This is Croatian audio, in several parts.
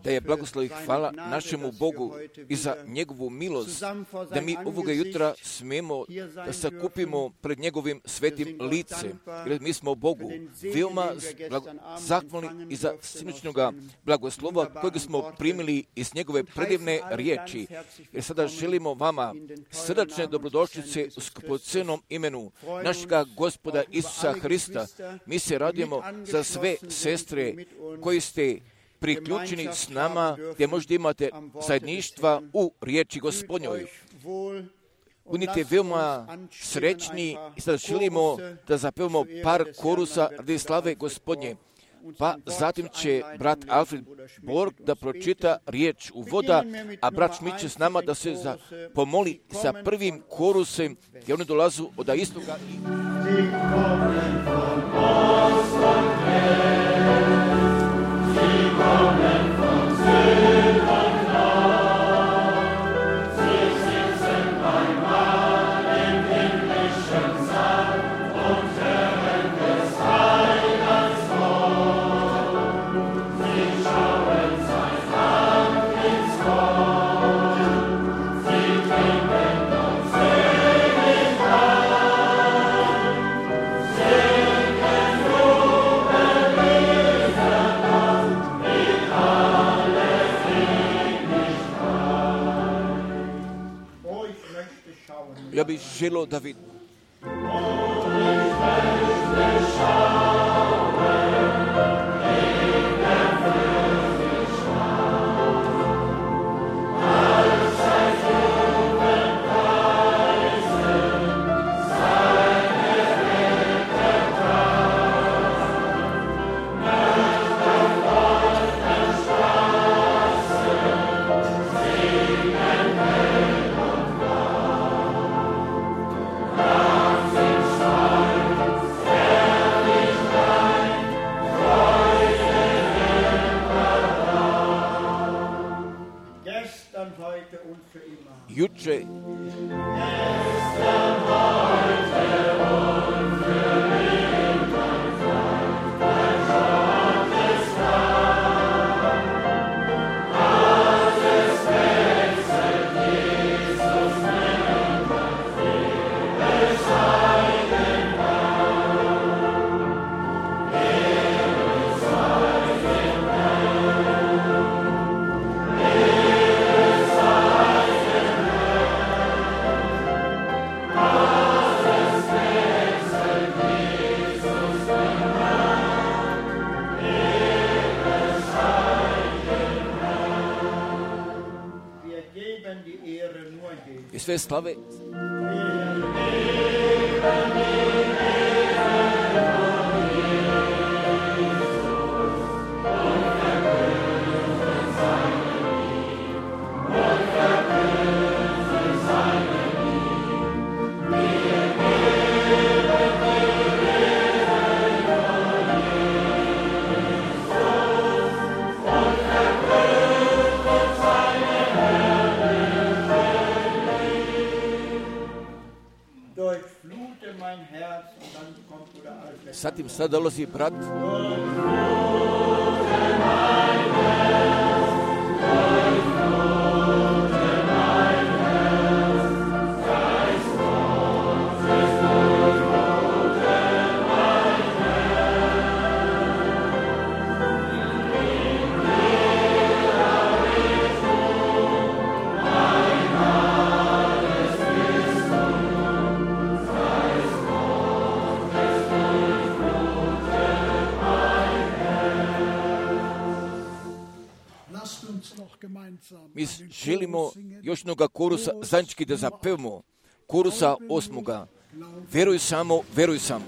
Da je blagoslov i hvala našemu Bogu i za njegovu milost, da mi ovoga jutra smijemo da se kupimo pred njegovim svetim licem. Jer mi smo Bogu veoma zahvalni i za sinoćnoga blagoslova kojeg smo primili iz njegove predivne riječi. Jer sada želimo vama srdačne dobrodošlice u skupocenom imenu našega Gospoda Isusa Hrista. Mi se radujemo za sve sestre koji ste priključeni s nama, gdje možda imate zajedništva u riječi Gospodnjoj. Budite veoma srećni i sada želimo da zapevamo par korusa radi slave Gospodnje. Pa zatim će brat Alfred Borg da pročita riječ uvoda, a brat Šmit će s nama da se pomoli sa prvim korusem, gdje oni dolazu od istoga. Ja bih želio da vidim. Juče i sve slave Zatim sad dolazi brat. Mi želimo još jednoga korusa zajednički da zapevamo, korusa 8. Veruj samo, veruj samo.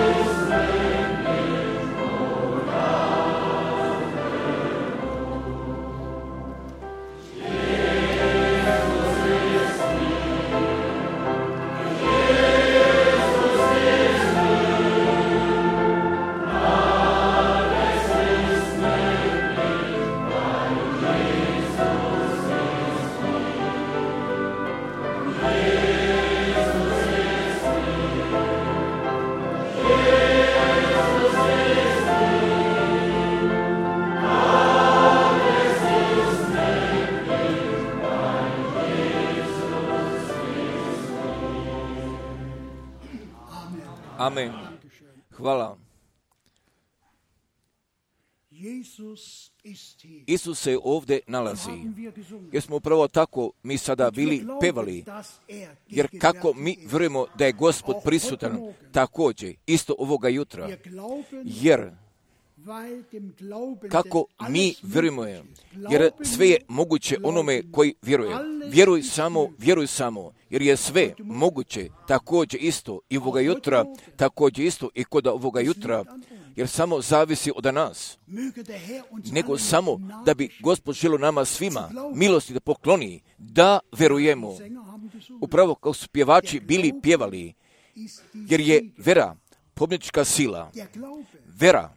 Alles ist Amen. Hvala. Isus se ovdje nalazi. Jer smo upravo tako mi sada bili pevali. Jer kako mi vjerujemo da je Gospod prisutan također isto ovoga jutra. Jer kako mi vjerujemo, jer sve je moguće onome koji vjeruje. Vjeruj samo, jer je sve moguće također isto i ovoga jutra, također isto i kod ovoga jutra, jer samo zavisi od nas. Nego samo da bi Gospod želio nama svima milosti da pokloni, da vjerujemo. Upravo kao su pjevači bili pjevali, jer je vera pobjednička sila. Vera,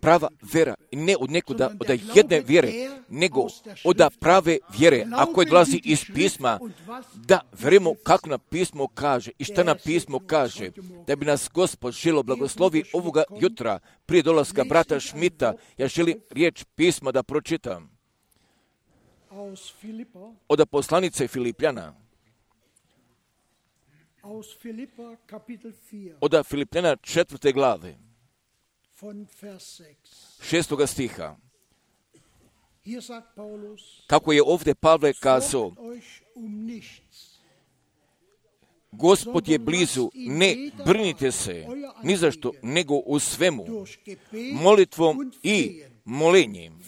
prava vera, ne od nekuda, od jedne vjere, nego od prave vjere, a koje dolazi iz pisma, da vjerujemo kako nam pismo kaže i šta nam pismo kaže, da bi nas Gospod želio blagoslovi ovoga jutra, prije dolaska brata Šmita. Ja želim riječ pisma da pročitam. Od poslanice Filipljana. Od Filipljana 4. glave. 6. stiha. Kako je ovdje Pavle kazao, Gospod je blizu, ne brinite se ni za što, nego u svemu, molitvom i molenjem,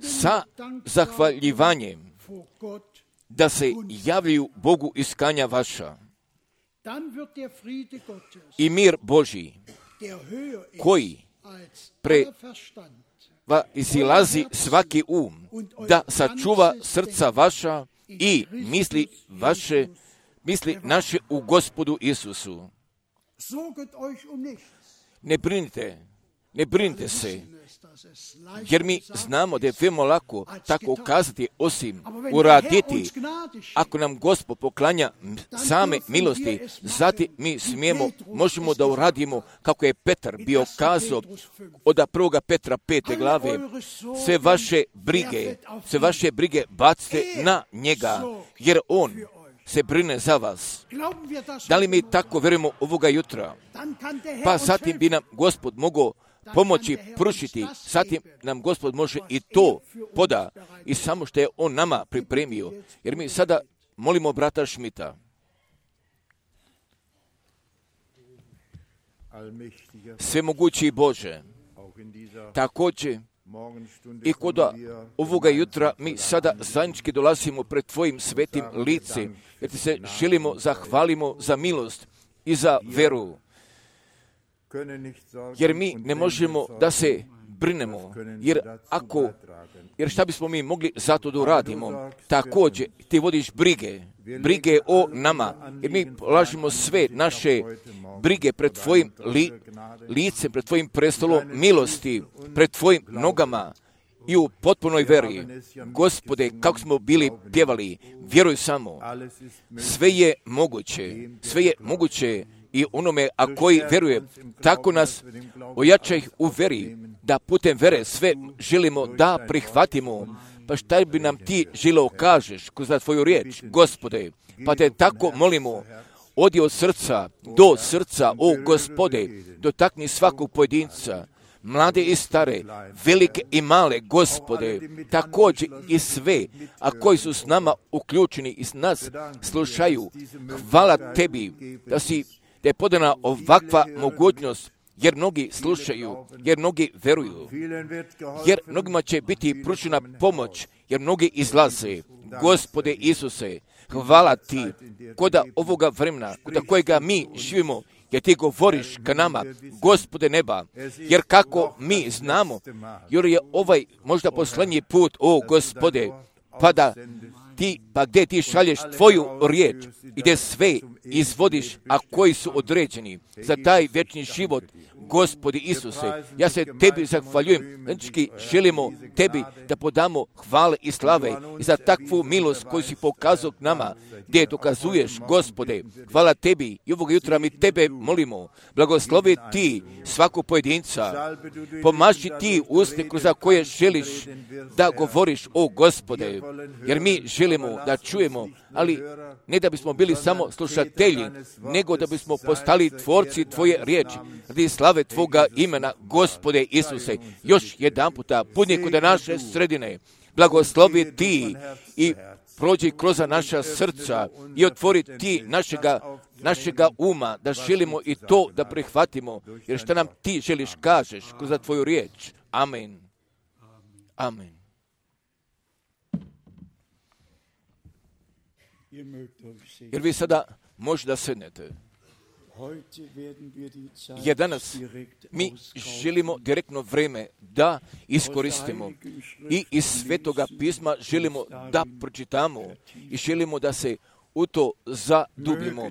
sa zahvaljivanjem, da se javljaju Bogu iskanja vaša. I mir Božji, koji izilazi svaki da sačuva srca vaša i misli naše u Gospodu Isusu. Ne brinite se, jer mi znamo da je veoma lako tako kazati, osim uraditi. Ako nam Gospod poklanja same milosti, zatim mi možemo da uradimo kako je Petar bio kazao od 1. Petra 5. glave, sve vaše brige bacite na njega, jer on se brine za vas. Da li mi tako vjerujemo ovoga jutra? Pa zatim bi nam Gospod mogao pomoći prušiti, zatim nam Gospod može i to poda i samo što je on nama pripremio. Jer mi sada molimo brata Šmita. Svemogući Bože, također i kod ovoga jutra mi sada zajednički dolazimo pred Tvojim svetim licem, jer Ti se želimo zahvalimo za milost i za veru. Jer mi ne možemo da se brinemo, jer šta bismo mi mogli zato da uradimo? Također, Ti vodiš brige o nama, jer mi polažimo sve naše brige pred Tvojim licem, pred Tvojim prestolom milosti, pred Tvojim nogama i u potpunoj veri. Gospode, kako smo bili pjevali, vjeruj samo, sve je moguće i onome, a koji vjeruje, tako nas ojačaj u veri, da putem vere sve želimo da prihvatimo. Pa šta bi nam Ti želio kažeš kroz Tvoju riječ, Gospode? Pa Te tako molimo, odi od srca do srca, o Gospode, dotakni svakog pojedinca, mlade i stare, velike i male, Gospode, također i sve, a koji su s nama uključeni i s nas slušaju. Hvala Tebi da je podana ovakva mogućnost, jer mnogi slušaju, jer mnogi veruju, jer mnogima će biti pružena pomoć, jer mnogi izlaze. Gospode Isuse, hvala Ti kod ovoga vremena, kod kojega mi živimo, jer Ti govoriš ka nama, Gospode neba, jer kako mi znamo, jer je ovaj možda posljednji put, o Gospode, pa gdje Ti šalješ Tvoju riječ i gdje sve izvodiš, a koji su određeni za taj vječni život, Gospodi Isuse, ja se Tebi zahvaljujem. Znači, želimo Tebi da podamo hvale i slave i za takvu milost koju si pokazao nama, gdje dokazuješ, Gospode. Hvala Tebi i ovog jutra mi Tebe molimo. Blagoslovi Ti svakog pojedinca. Pomaži Ti usne kroz koje želiš da govoriš, o Gospode, jer mi želimo da čujemo, ali ne da bismo bili samo slušatelji, nego da bismo postali tvorci Tvoje riječi, radi slave Tvoga imena, Gospode Isuse. Još jedan puta, budni kod naše sredine, blagoslovi Ti i prođi kroz naša srca i otvori Ti našega uma, da želimo i to da prihvatimo, jer šta nam Ti želiš kažeš kroz Tvoju riječ. Amen. Amen. Jer vi sada možda sednete. Jer danas mi želimo direktno vrijeme da iskoristimo i iz Svetoga pisma želimo da pročitamo i želimo da se u to zadubimo,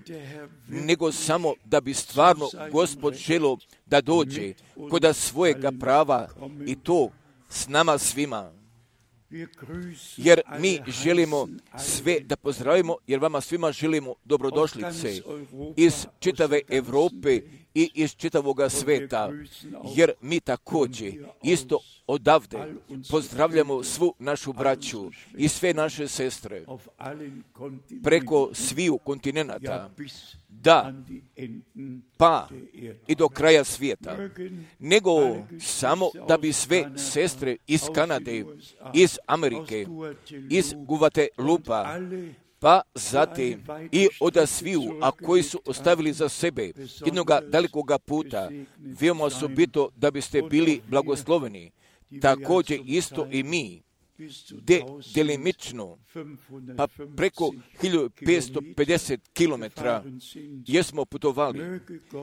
nego samo da bi stvarno Gospod želio da dođe kod svojega prava i to s nama svima. Jer mi želimo sve da pozdravimo, jer vama svima želimo dobrodošlice iz čitave Europe i iz čitavoga sveta, jer mi također isto odavde pozdravljamo svu našu braću i sve naše sestre preko sviju kontinenata, da, pa i do kraja svijeta, nego samo da bi sve sestre iz Kanade, iz Amerike, iz Guadeloupa, pa zatim i od sviju, a koji su ostavili za sebe jednoga dalikoga puta, veoma osobito da biste bili blagosloveni, također isto i mi, delimično, pa preko 1550 kilometra jesmo putovali,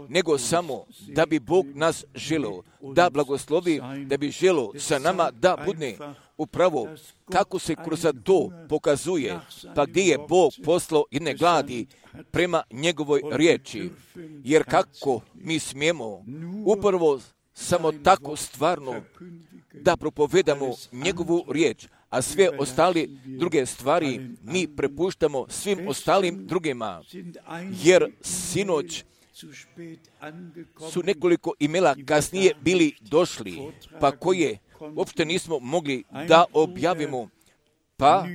nego samo da bi Bog nas želio da blagoslovi, da bi želio sa nama da budne upravo kako se kroz to pokazuje, pa gdje je Bog poslao jedne gladi prema njegovoj riječi, jer kako mi smijemo upravo samo tako stvarno da propovedamo njegovu riječ, a sve ostale druge stvari mi prepuštamo svim ostalim drugima, jer sinoć su nekoliko imela kasnije bili došli, pa koje uopšte nismo mogli da objavimo, pa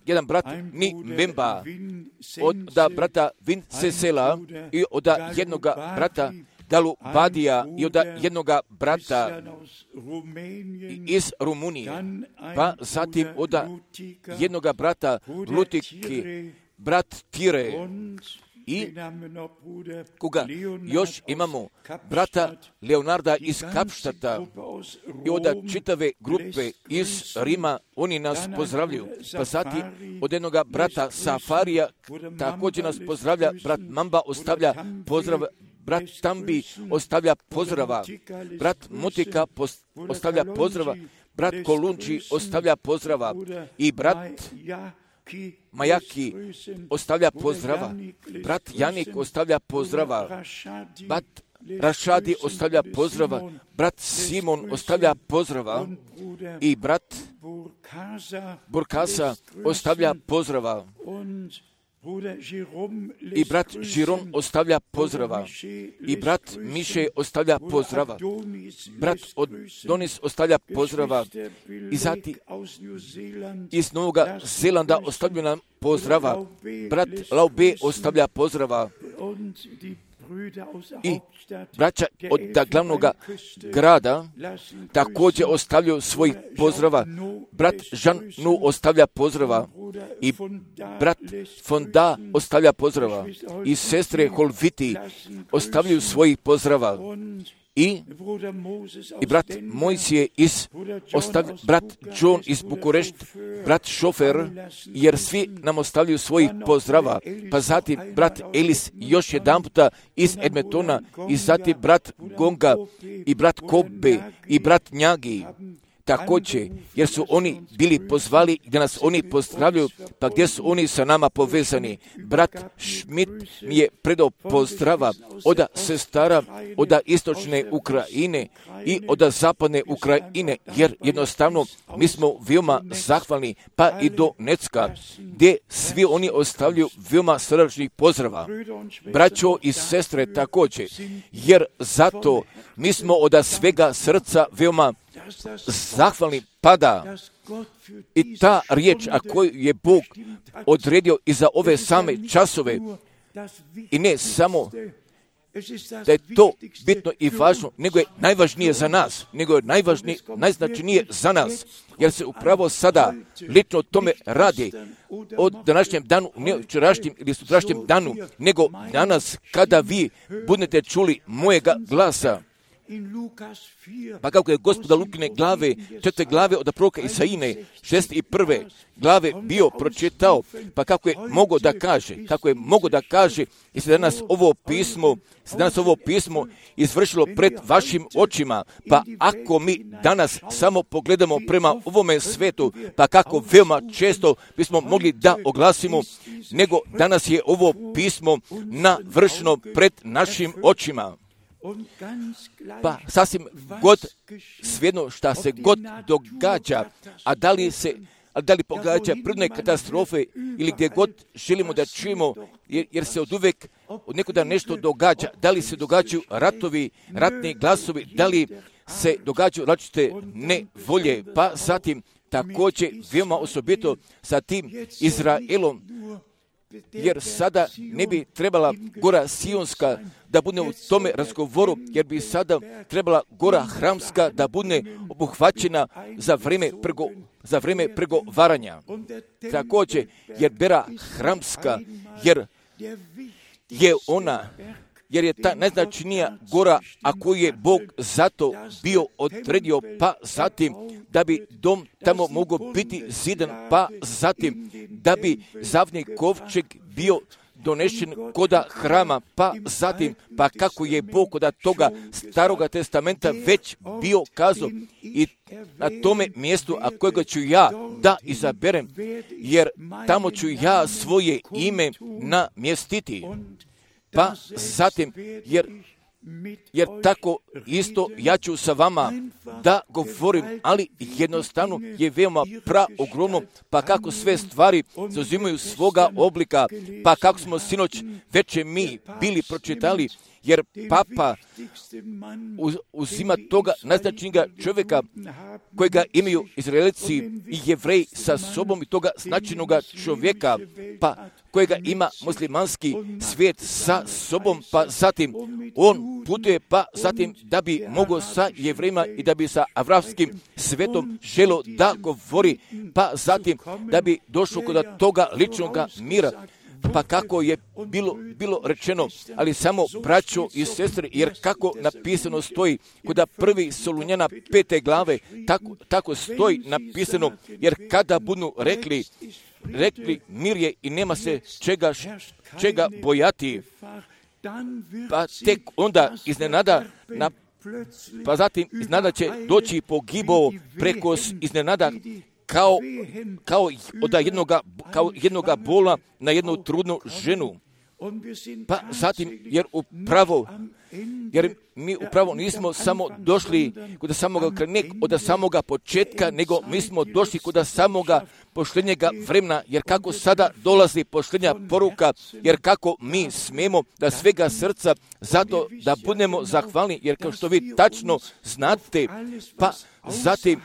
jedan brat Ni Memba od brata Vincesela i od jednoga brata Dalu Badija i od jednoga brata iz Rumunije, pa zatim od jednoga brata Lutiki, brat Tire, i koga još imamo brata Leonarda iz Kapštata i od čitave grupe iz Rima, oni nas pozdravljaju. Pa zatim od jednoga brata Safarija također nas pozdravlja, brat Mamba ostavlja pozdrav, brat Tambi ostavlja pozdrava, brat Motika ostavlja pozdrava, brat Kolunči ostavlja pozdrava i brat Majaki ostavlja pozdrava, brat Janik ostavlja pozdrava, brat Rašadi ostavlja pozdrava, brat Simon ostavlja pozdrava i brat Burkasa ostavlja pozdrava i brat Žiron ostavlja pozdrava i brat Miše ostavlja pozdrava, brat Donis ostavlja pozdrava i zatim iz Novog Zelanda ostavlja nam pozdrava, brat Laube ostavlja pozdrava i braća od glavnog grada također ostavljaju svoj pozdrava. Brat Jean Nu ostavlja pozdrava i brat Fonda ostavlja pozdrava i sestre Holviti ostavljaju svojih pozdrava. I brat Mojsije brat John iz Bukurešt, brat Šofer, jer svi nam ostavljaju svojih pozdrava, pa zatim brat Elis još jedan puta iz Edmontona i zatim brat Gonga i brat Kobe i brat Njagi također, jer su oni bili pozvali da nas oni pozdravljaju, pa gdje su oni sa nama povezani. Brat Schmidt mi je predao pozdrava od sestara, od istočne Ukrajine i od zapadne Ukrajine, jer jednostavno mi smo veoma zahvalni, pa i do Necka, gdje svi oni ostavljaju veoma srdačnih pozdrava. Braćo i sestre također, jer zato mi smo od svega srca veoma zahvalni pada i ta riječ, a koju je Bog odredio i za ove same časove, i ne samo da je to bitno i važno, nego je najvažnije za nas, nego je najznačajnije za nas, jer se upravo sada lično o tome radi od današnjem danu, ne včerašnjem ili sutrašnjem danu, nego danas kada vi budete čuli mojega glasa. Pa kako je Gospoda Lukine glave, 4. glave od proroka Isaije, 6. i 1. glave bio pročitao, pa kako je mogao da kaže, i se danas ovo pismo izvršilo pred vašim očima, pa ako mi danas samo pogledamo prema ovome svetu, pa kako veoma često bismo mogli da oglasimo, nego danas je ovo pismo navršeno pred našim očima. Pa sasvim god, svejedno šta se god događa, a da li pogađa prirodne katastrofe ili gdje god želimo da čujemo, jer se oduvek od nekuda nešto događa, da li se događaju ratovi, ratni glasovi, da li se događaju različite nevolje, pa zatim također veoma osobito sa tim Izraelom, jer sada ne bi trebala gora Sionska da bude u tome razgovoru, jer bi sada trebala gora Hramska da bude obuhvaćena za vrijeme pregovaranja. Također, jer Bera Hramska, jer je ta najznačajnija gora, a koju je Bog zato bio odredio, pa zatim da bi dom tamo mogao biti zidan, pa zatim da bi zavni kovčeg bio donešen koda hrama, pa zatim, pa kako je Bog koda toga Staroga testamenta već bio kazao, i na tome mjestu, a kojega ću ja da izaberem, jer tamo ću ja svoje ime namjestiti. Pa zatim, jer tako isto ja ću sa vama da govorim, ali jednostavno je veoma ogromno, pa kako sve stvari zauzimaju svoga oblika, pa kako smo sinoć večer mi bili pročitali, jer Papa uzima toga najznačajnijega čovjeka kojega imaju Izraelci i Jevreji sa sobom, i toga značajnoga čovjeka, pa kojega ima muslimanski svijet sa sobom, pa zatim on putuje, pa zatim da bi mogao sa Jevrejima i da bi sa avramskim svijetom želio da govori, pa zatim da bi došao kod toga ličnoga mira. Pa kako je bilo rečeno, ali samo braćo i sestre, jer kako napisano stoji kod 1. Solunjana 5. glave, tako stoji napisano, jer kada budu rekli mir je i nema se čega bojati, pa tek onda iznenada će doći pogibao preko iznenada, kao jednoga bola na jednu trudnu ženu. Pa zatim, jer mi upravo nismo samo došli kod samoga početka, nego mi smo došli kod samoga posljednjega vremena, jer kako sada dolazi posljednja poruka, jer kako mi smijemo da svega srca zato da budemo zahvalni, jer kao što vi tačno znate, pa zatim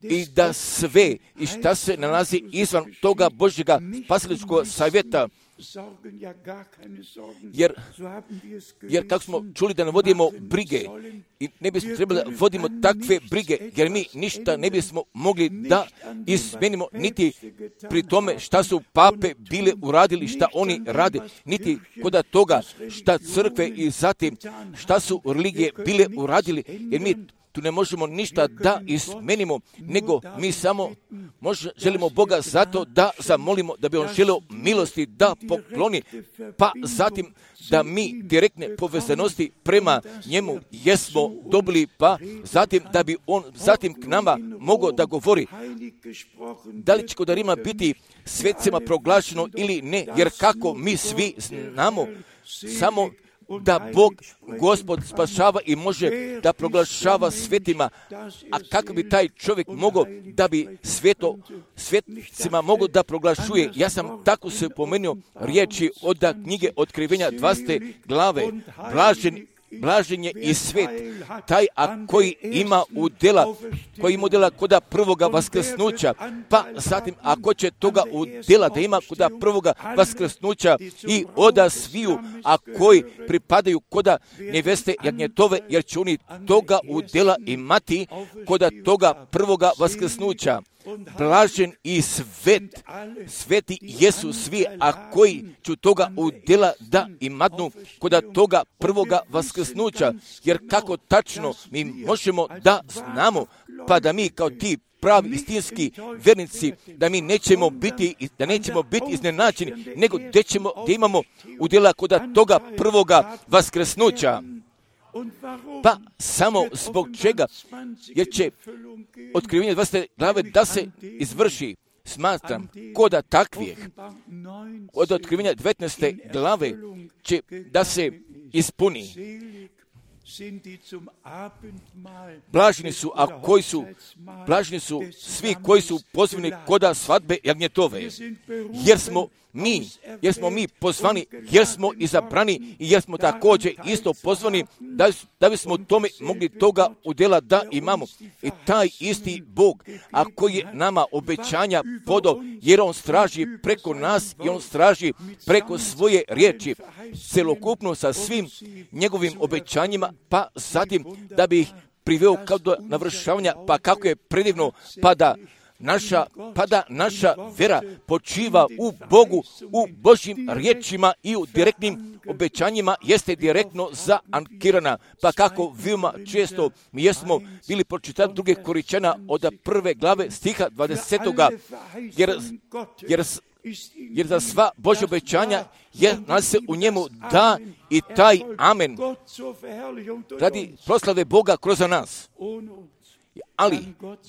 i da sve i šta se nalazi izvan toga Božjega spasiličkog savjeta, jer kako smo čuli da ne vodimo brige, i ne bismo trebali da vodimo takve brige, jer mi ništa ne bismo mogli da izmenimo, niti pri tome šta su pape bile uradili, šta oni rade, niti kod toga šta crkve i zatim šta su religije bile uradili, jer mi tu ne možemo ništa da izmenimo, nego mi samo želimo Boga zato da zamolimo da bi On želeo milosti da pokloni, pa zatim da mi direktne povezanosti prema njemu jesmo dobili, pa zatim da bi On zatim k nama mogao da govori da li će kod Rima biti svetcima proglašeno ili ne, jer kako mi svi znamo samo da Bog, Gospod, spašava i može da proglašava svetima, a kako bi taj čovjek mogao da bi svetcima mogao da proglašuje. Ja sam tako se pomenuo riječi od knjige Otkrivenja 20. glave, blažen je i svet, taj koji ima udjela koda prvoga vaskrsnuća, pa zatim ako će toga udjela da ima koda prvoga vaskrsnuća i oda sviju, a koji pripadaju koda neveste jagnjetove, jer će oni toga udjela imati koda toga prvoga vaskrsnuća. Blažen i sveti jesu svi, a koji ću toga udjela da imadnu koda toga prvoga vaskrsnuća, jer kako tačno mi možemo da znamo, pa da mi kao ti pravi istinski vernici, da mi nećemo biti iznenađeni, nego da imamo udjela koda toga prvoga vaskrsnuća. Pa samo zbog čega? Jer će Otkrivenje 20. glave da se izvrši, smatram, koda takvijeh. Od Otkrivenja 19. glave će da se ispuni. Blaženi su svi koji su pozvani koda svadbe jagnjetove, jer smo mi pozvani, jer smo izabrani i jer smo također isto pozvani da bismo tome mogli toga udjela da imamo. I taj isti Bog, a koji je nama obećanja podao, jer On straži preko nas i On straži preko svoje riječi, celokupno sa svim njegovim obećanjima, pa zatim da bi ih priveo kao do navršavanja, pa kako je predivno, pa da naša vera počiva u Bogu, u Božjim riječima i u direktnim obećanjima jeste direktno zaankirana. Pa kako veoma često mi jesmo bili pročitati druge Koričana od 1. glave stiha 20. Jer za sva Božja obećanja nalazi se u njemu da i taj amen radi proslave Boga kroz nas. Ali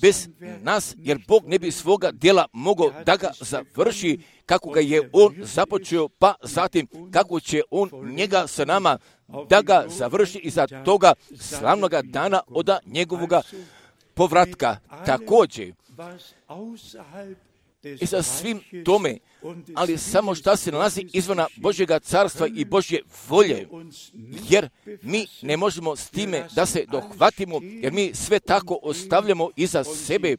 bez nas, jer Bog ne bi svoga djela mogao da ga završi kako ga je On započeo, pa zatim kako će On njega sa nama da ga završi i za toga slavnoga dana od njegovoga povratka. Također i sa svim tome, ali samo šta se nalazi izvana Božjega carstva i Božje volje, jer mi ne možemo s time da se dohvatimo, jer mi sve tako ostavljamo iza sebe,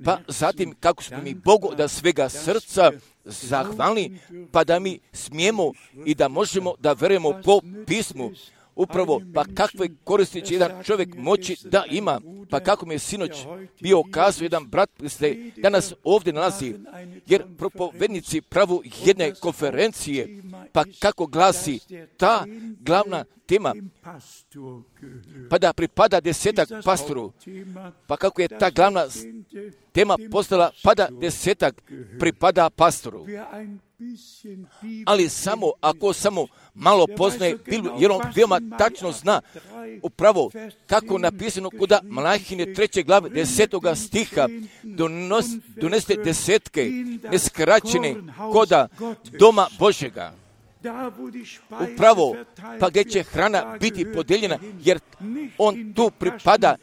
pa zatim kako smo mi Bogu da svega srca zahvalni, pa da mi smijemo i da možemo da verujemo po pismu. Upravo, pa kakve koristi će jedan čovjek moći da ima, pa kako mi je sinoć bio kazao jedan brat, se danas ovdje nalazi, jer propovednici pravu jedne konferencije, pa kako glasi ta glavna tema, pa da pripada 10 pastoru, pa kako je ta glavna tema postala, pa da 10 pripada pastoru. Ali samo ako malo poznaje Bibliju, jer on veoma tačno zna upravo kako napisano kuda Malahine 3. glave 10. stiha doneste desetke neskraćene koda doma Božjega. Upravo, pa gdje će hrana biti podijeljena, jer on tu pripada,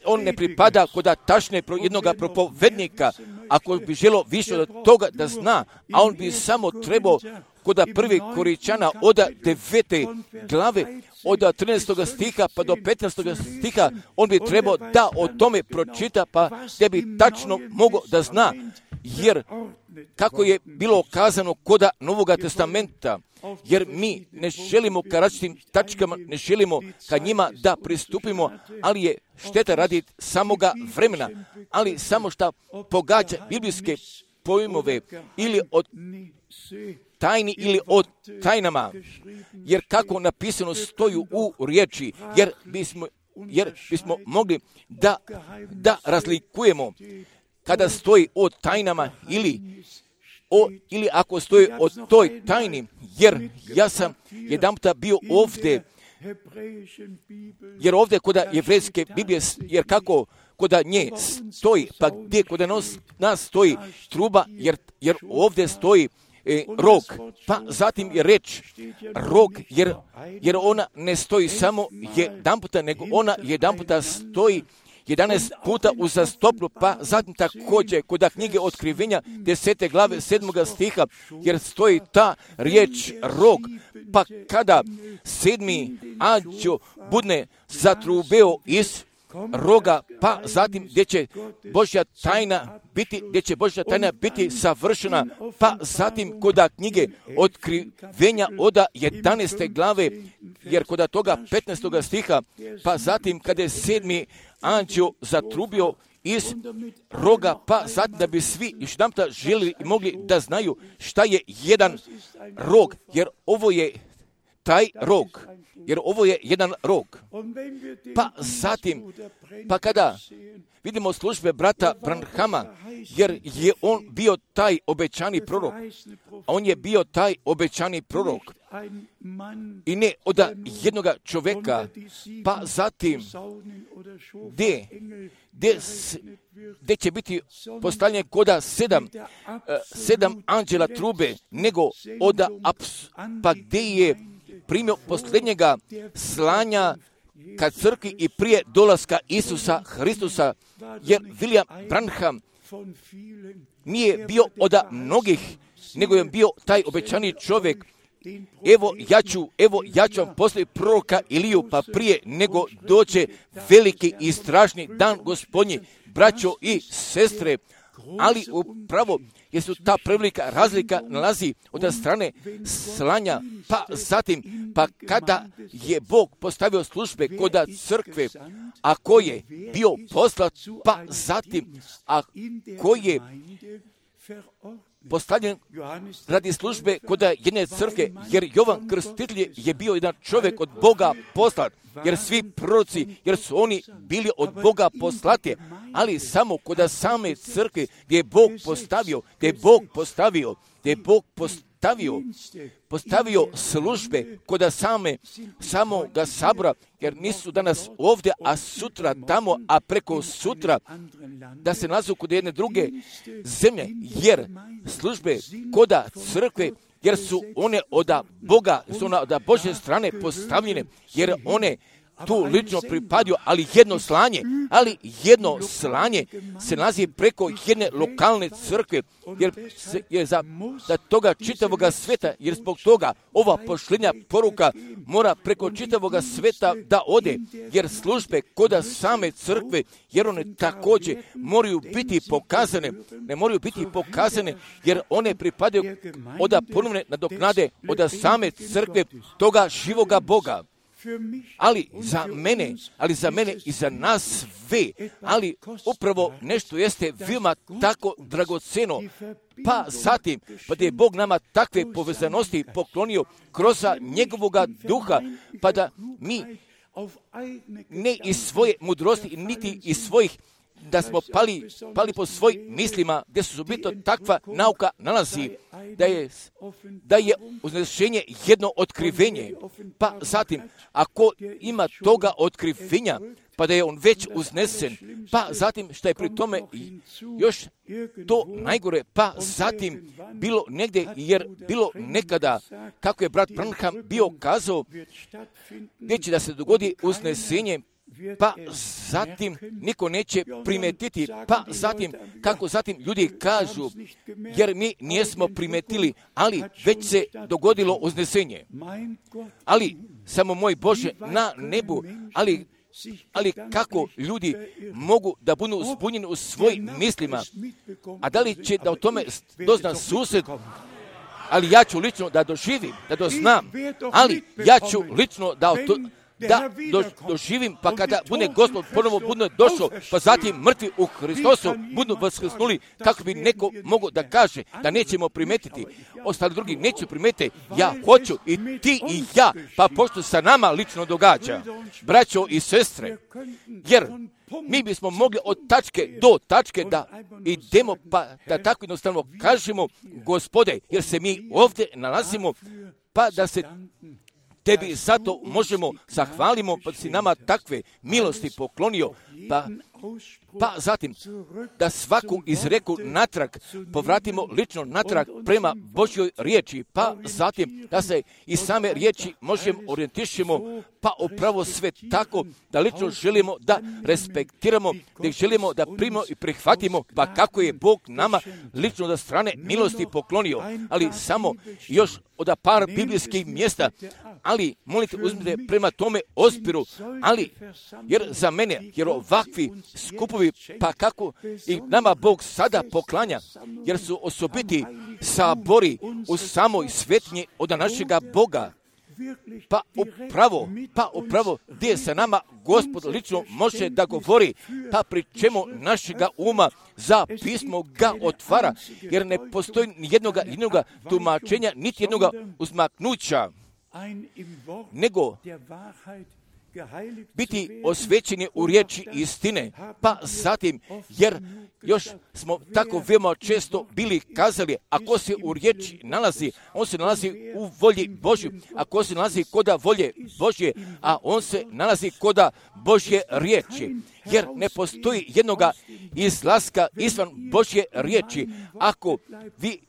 on ne pripada koda tašne jednog propovednika, ako bi želio više od toga da zna, a on bi samo trebao koda 1. Koričana od 9. glave, od 13. stiha pa do 15. stiha, on bi trebao da o tome pročita, pa da bi tačno mogao da zna, jer kako je bilo kazano koda Novoga testamenta, jer mi ne želimo ka različitim tačkama, ne želimo ka njima da pristupimo, ali je šteta radi samoga vremena, ali samo šta pogađa biblijske pojmove ili od tajni ili od tajnama, jer kako napisano stoju u riječi, jer bismo jer bismo mogli da razlikujemo kada stoji o tajnama ili ako stoji o toj tajni, jer ja sam jedanputa bio ovdje, jer ovdje kod jevrejske Biblije, jer kako kod nje stoji, pa gdje kod nas stoji truba, jer ovdje stoji rog, pa zatim je reč rog, jer ona ne stoji samo jedanputa, nego ona jedanputa stoji 11 puta uzastopno, pa zatim također kod knjige Otkrivenja 10. glave 7. stiha, jer stoji ta riječ rog, pa kada 7. anđeo budne zatrubeo iz roga, pa zatim gdje će Božja tajna biti savršena, pa zatim kod knjige Otkrivenja od 11. glave, jer kod toga 15. stiha, pa zatim kada je 7. anđeo zatrubio iz roga, pa zatim da bi svi još jedanputa željeli i mogli da znaju šta je jedan rog, jer ovo je taj rog, jer ovo je jedan rog. Pa zatim, pa kada vidimo službe brata Branhama, jer je on bio taj obećani prorok, on je bio taj obećani prorok i ne od jednoga čovjeka, pa zatim gdje će biti postavljanje koda 7 anđela trube, nego pa gdje je primio posljednjega slanja ka crkvi i prije dolaska Isusa Hristusa, jer William Branham nije bio od mnogih, nego je bio taj obećani čovjek. Evo ja ću vam poslati proroka Iliju, pa prije nego dođe veliki i strašni dan Gospodnji, braćo i sestre, ali upravo jer su ta prevelika razlika nalazi od strane slanja, pa zatim, pa kada je Bog postavio službe kod crkve, a ko je bio poslat, pa zatim, a ko je postavljen radi službe kod jedne crkve, jer Jovan Krstitelj je bio jedan čovjek od Boga poslat, jer svi proroci, jer su oni bili od Boga poslati, ali samo kod same crkve gdje je Bog postavio službe kod samoga sabora, jer nisu danas ovdje, a sutra tamo, a preko sutra da se nalazu kod jedne druge zemlje, jer službe kod crkve, jer su one od Boga, su one od Božje strane postavljene, jer one tu lično pripadaju, ali jedno slanje se nalazi preko jedne lokalne crkve, jer za toga čitavoga sveta, jer zbog toga ova pošljenja poruka mora preko čitavoga sveta da ode, jer službe kod same crkve, jer one također moraju biti pokazane, jer one pripadaju od ponovne nadoknade od same crkve toga živoga Boga. Ali za mene i za nas sve, ali upravo nešto jeste veoma tako dragoceno, pa zatim, pa da je Bog nama takve povezanosti poklonio kroz njegovoga duha, pa da mi ne iz svoje mudrosti, niti iz svojih, da smo pali po svojim mislima, gdje su bitno takva nauka nalazi, da je uznešenje jedno otkrivenje, pa zatim, ako ima toga otkrivenja, pa da je on već uznesen, pa zatim što je pri tome još to najgore, pa zatim bilo negdje, jer bilo nekada, kako je brat Branham bio kazao, gdje će da se dogodi uznesenje, pa zatim niko neće primetiti, pa zatim, kako zatim ljudi kažu, jer mi nismo primetili, ali već se dogodilo uznesenje. Ali, samo moj Bože, na nebu, ali kako ljudi mogu da budu zbunjeni u svojim mislima, a da li će da o tome dozna sused, ali ja ću lično da doživim, da doznam, ali ja ću lično da doživim, pa kada bude Gospod ponovo bude došao, pa zatim mrtvi u Hristosu budu vaskrsnuli, kako bi neko mogao da kaže da nećemo primetiti, ostali drugi neće primetiti, ja hoću i ti i ja, pa pošto sa nama lično događa, braćo i sestre, jer mi bismo mogli od tačke do tačke da idemo, pa da tako jednostavno kažemo, Gospode, jer se mi ovdje nalazimo, pa da se Tebi zato možemo zahvalimo, pa si nama takve milosti poklonio, pa zatim da svaku izreku natrag povratimo lično natrag prema Božjoj riječi, pa zatim da se i same riječi možemo orijentišemo, pa upravo sve tako da lično želimo da respektiramo, da ih želimo da primimo i prihvatimo, pa kako je Bog nama lično da strane milosti poklonio, ali samo još od par biblijskih mjesta, ali molite uzmite prema tome ospiru, ali jer za mene, jer ovakvi skupovi, pa kako i nama Bog sada poklanja, jer su osobiti sabori u samoj svetnji od našega Boga, pa upravo gdje sa nama Gospod lično može da govori, pa pri čemu našega uma za pismo ga otvara, jer ne postoji jednoga tumačenja, niti jednoga uzmaknuća, nego biti osvećeni u riječi istine, pa zatim, jer još smo tako veoma često bili kazali, ako se u riječi nalazi, on se nalazi u volji Božju, ako se nalazi koda volje Božje, a on se nalazi koda Božje riječi, jer ne postoji jednoga izlaska izvan Božje riječi. Ako vi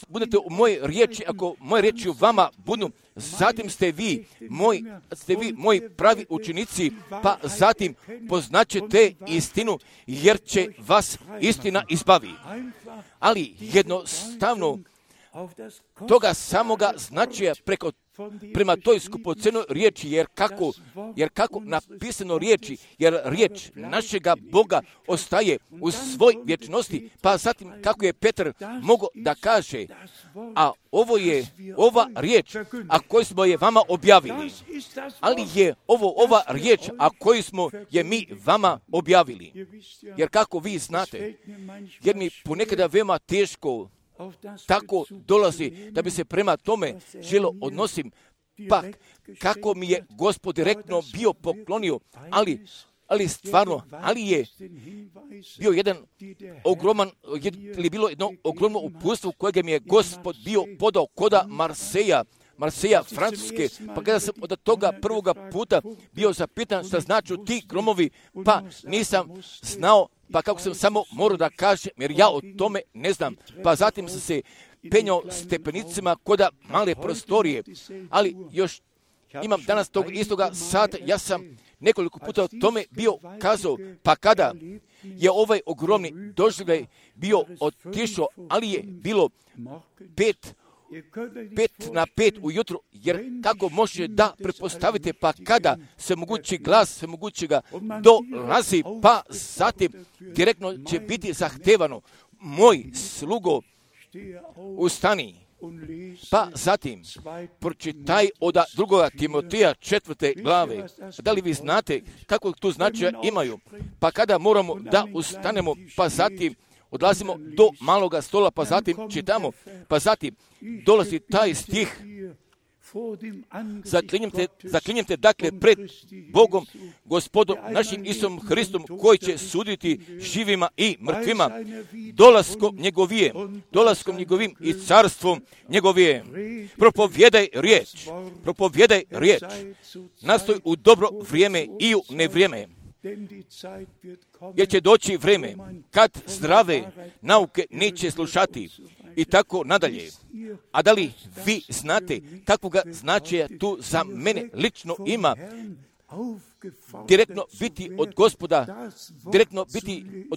budete u moje riječi, ako moje riječi u vama budu, zatim ste vi moji pravi učenici, pa zatim poznaćete istinu, jer će vas istina izbavi. Ali jednostavno toga samoga značaja prema toj skupocenoj riječi, jer kako napisano riječi, jer riječ našega Boga ostaje u svoj vječnosti, pa zatim kako je Petar mogao da kaže, a ovo je ova riječ, a koju smo je vama objavili, ali je ova riječ, a koju smo je mi vama objavili, jer kako vi znate, jer mi ponekada veoma teško tako dolazi da bi se prema tome želo odnosim, pa kako mi je Gospod direktno bio poklonio, ali stvarno, ali je bio bilo jedno ogromno uputstvo kojeg mi je Gospod bio podao koda Marseja, Francuske, pa kada sam od toga prvoga puta bio zapitan šta znači ti gromovi, pa nisam znao, pa kako sam samo morao da kažem, jer ja o tome ne znam, pa zatim sam se penjao stepenicima koda male prostorije, ali još imam danas tog istoga sata, ja sam nekoliko puta o tome bio kazao, pa kada je ovaj ogromni doživljaj bio otišao, ali je bilo 5:05 ujutru, jer kako može da pretpostavite, pa kada se mogući glas, se mogućega dolazi, pa zatim direktno će biti zahtevano, moj slugo, ustani, pa zatim pročitaj od 2. Timoteja 4. glave. Da li vi znate kako tu značaja imaju? Pa kada moramo da ustanemo, pa zatim odlazimo do maloga stola, pa zatim čitamo, pa zatim dolazi taj stih, zaklinjem te dakle pred Bogom, Gospodom našim Isusom Hristom, koji će suditi živima i mrtvima, dolaskom njegovim i carstvom njegovim. Propovijedaj riječ, nastoj u dobro vrijeme i u nevrijeme, jer će doći vrijeme kad zdrave nauke neće slušati i tako nadalje. A da li vi znate kakvoga značaja tu za mene lično ima direktno biti od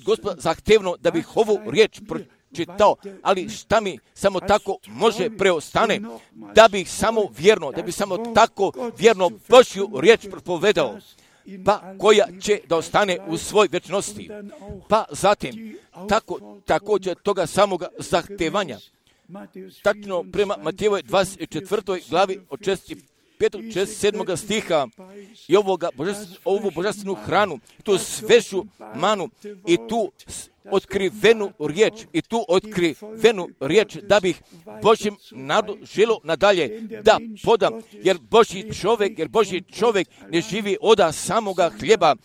Gospoda zahtevno da bih ovu riječ pročitao, ali šta mi samo tako može preostane, da bih samo tako vjerno Božju riječ propovedao, pa koja će da ostane u svoj vječnosti. Pa zatim, također toga samoga zahtevanja, tačno prema Matejevoj 24. glavi od 6. i 7. stiha i ovu božanstvenu hranu, tu svežu manu i tu otkrivenu riječ, da bih Božjem narodu želio nadalje da podam, jer Božji čovjek ne živi od samoga hljeba,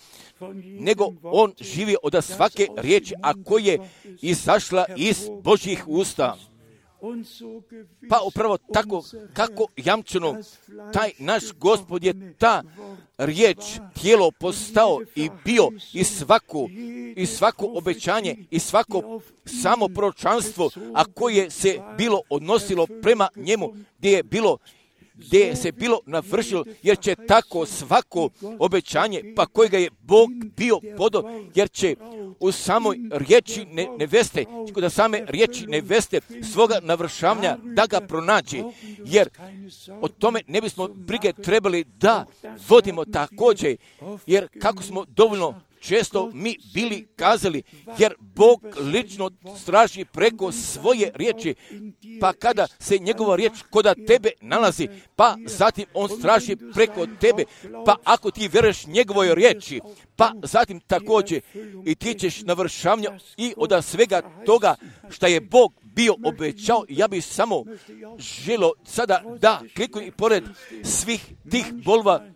nego on živi od svake riječi, a koja je izašla iz Božjih usta. Pa upravo tako kako jamčeno, taj naš Gospod je ta riječ tijelo postao i bio i svako obećanje i svako samo proročanstvo, a koje se bilo odnosilo prema njemu, gdje se bilo navršilo, jer će tako svako obećanje, pa kojega je Bog bio podao, jer će u samoj riječi neveste, da same riječi neveste svoga navršavanja da ga pronađe, jer o tome ne bismo brige trebali da vodimo također, jer kako smo dovoljno često mi bili kazali, jer Bog lično straži preko svoje riječi, pa kada se njegova riječ koda tebe nalazi, pa zatim on straži preko tebe, pa ako ti vjeruješ njegovoj riječi, pa zatim također i ti ćeš navršavanja i od svega toga što je Bog bio obećao. Ja bih samo želio sada da klikujem i pored svih tih bolova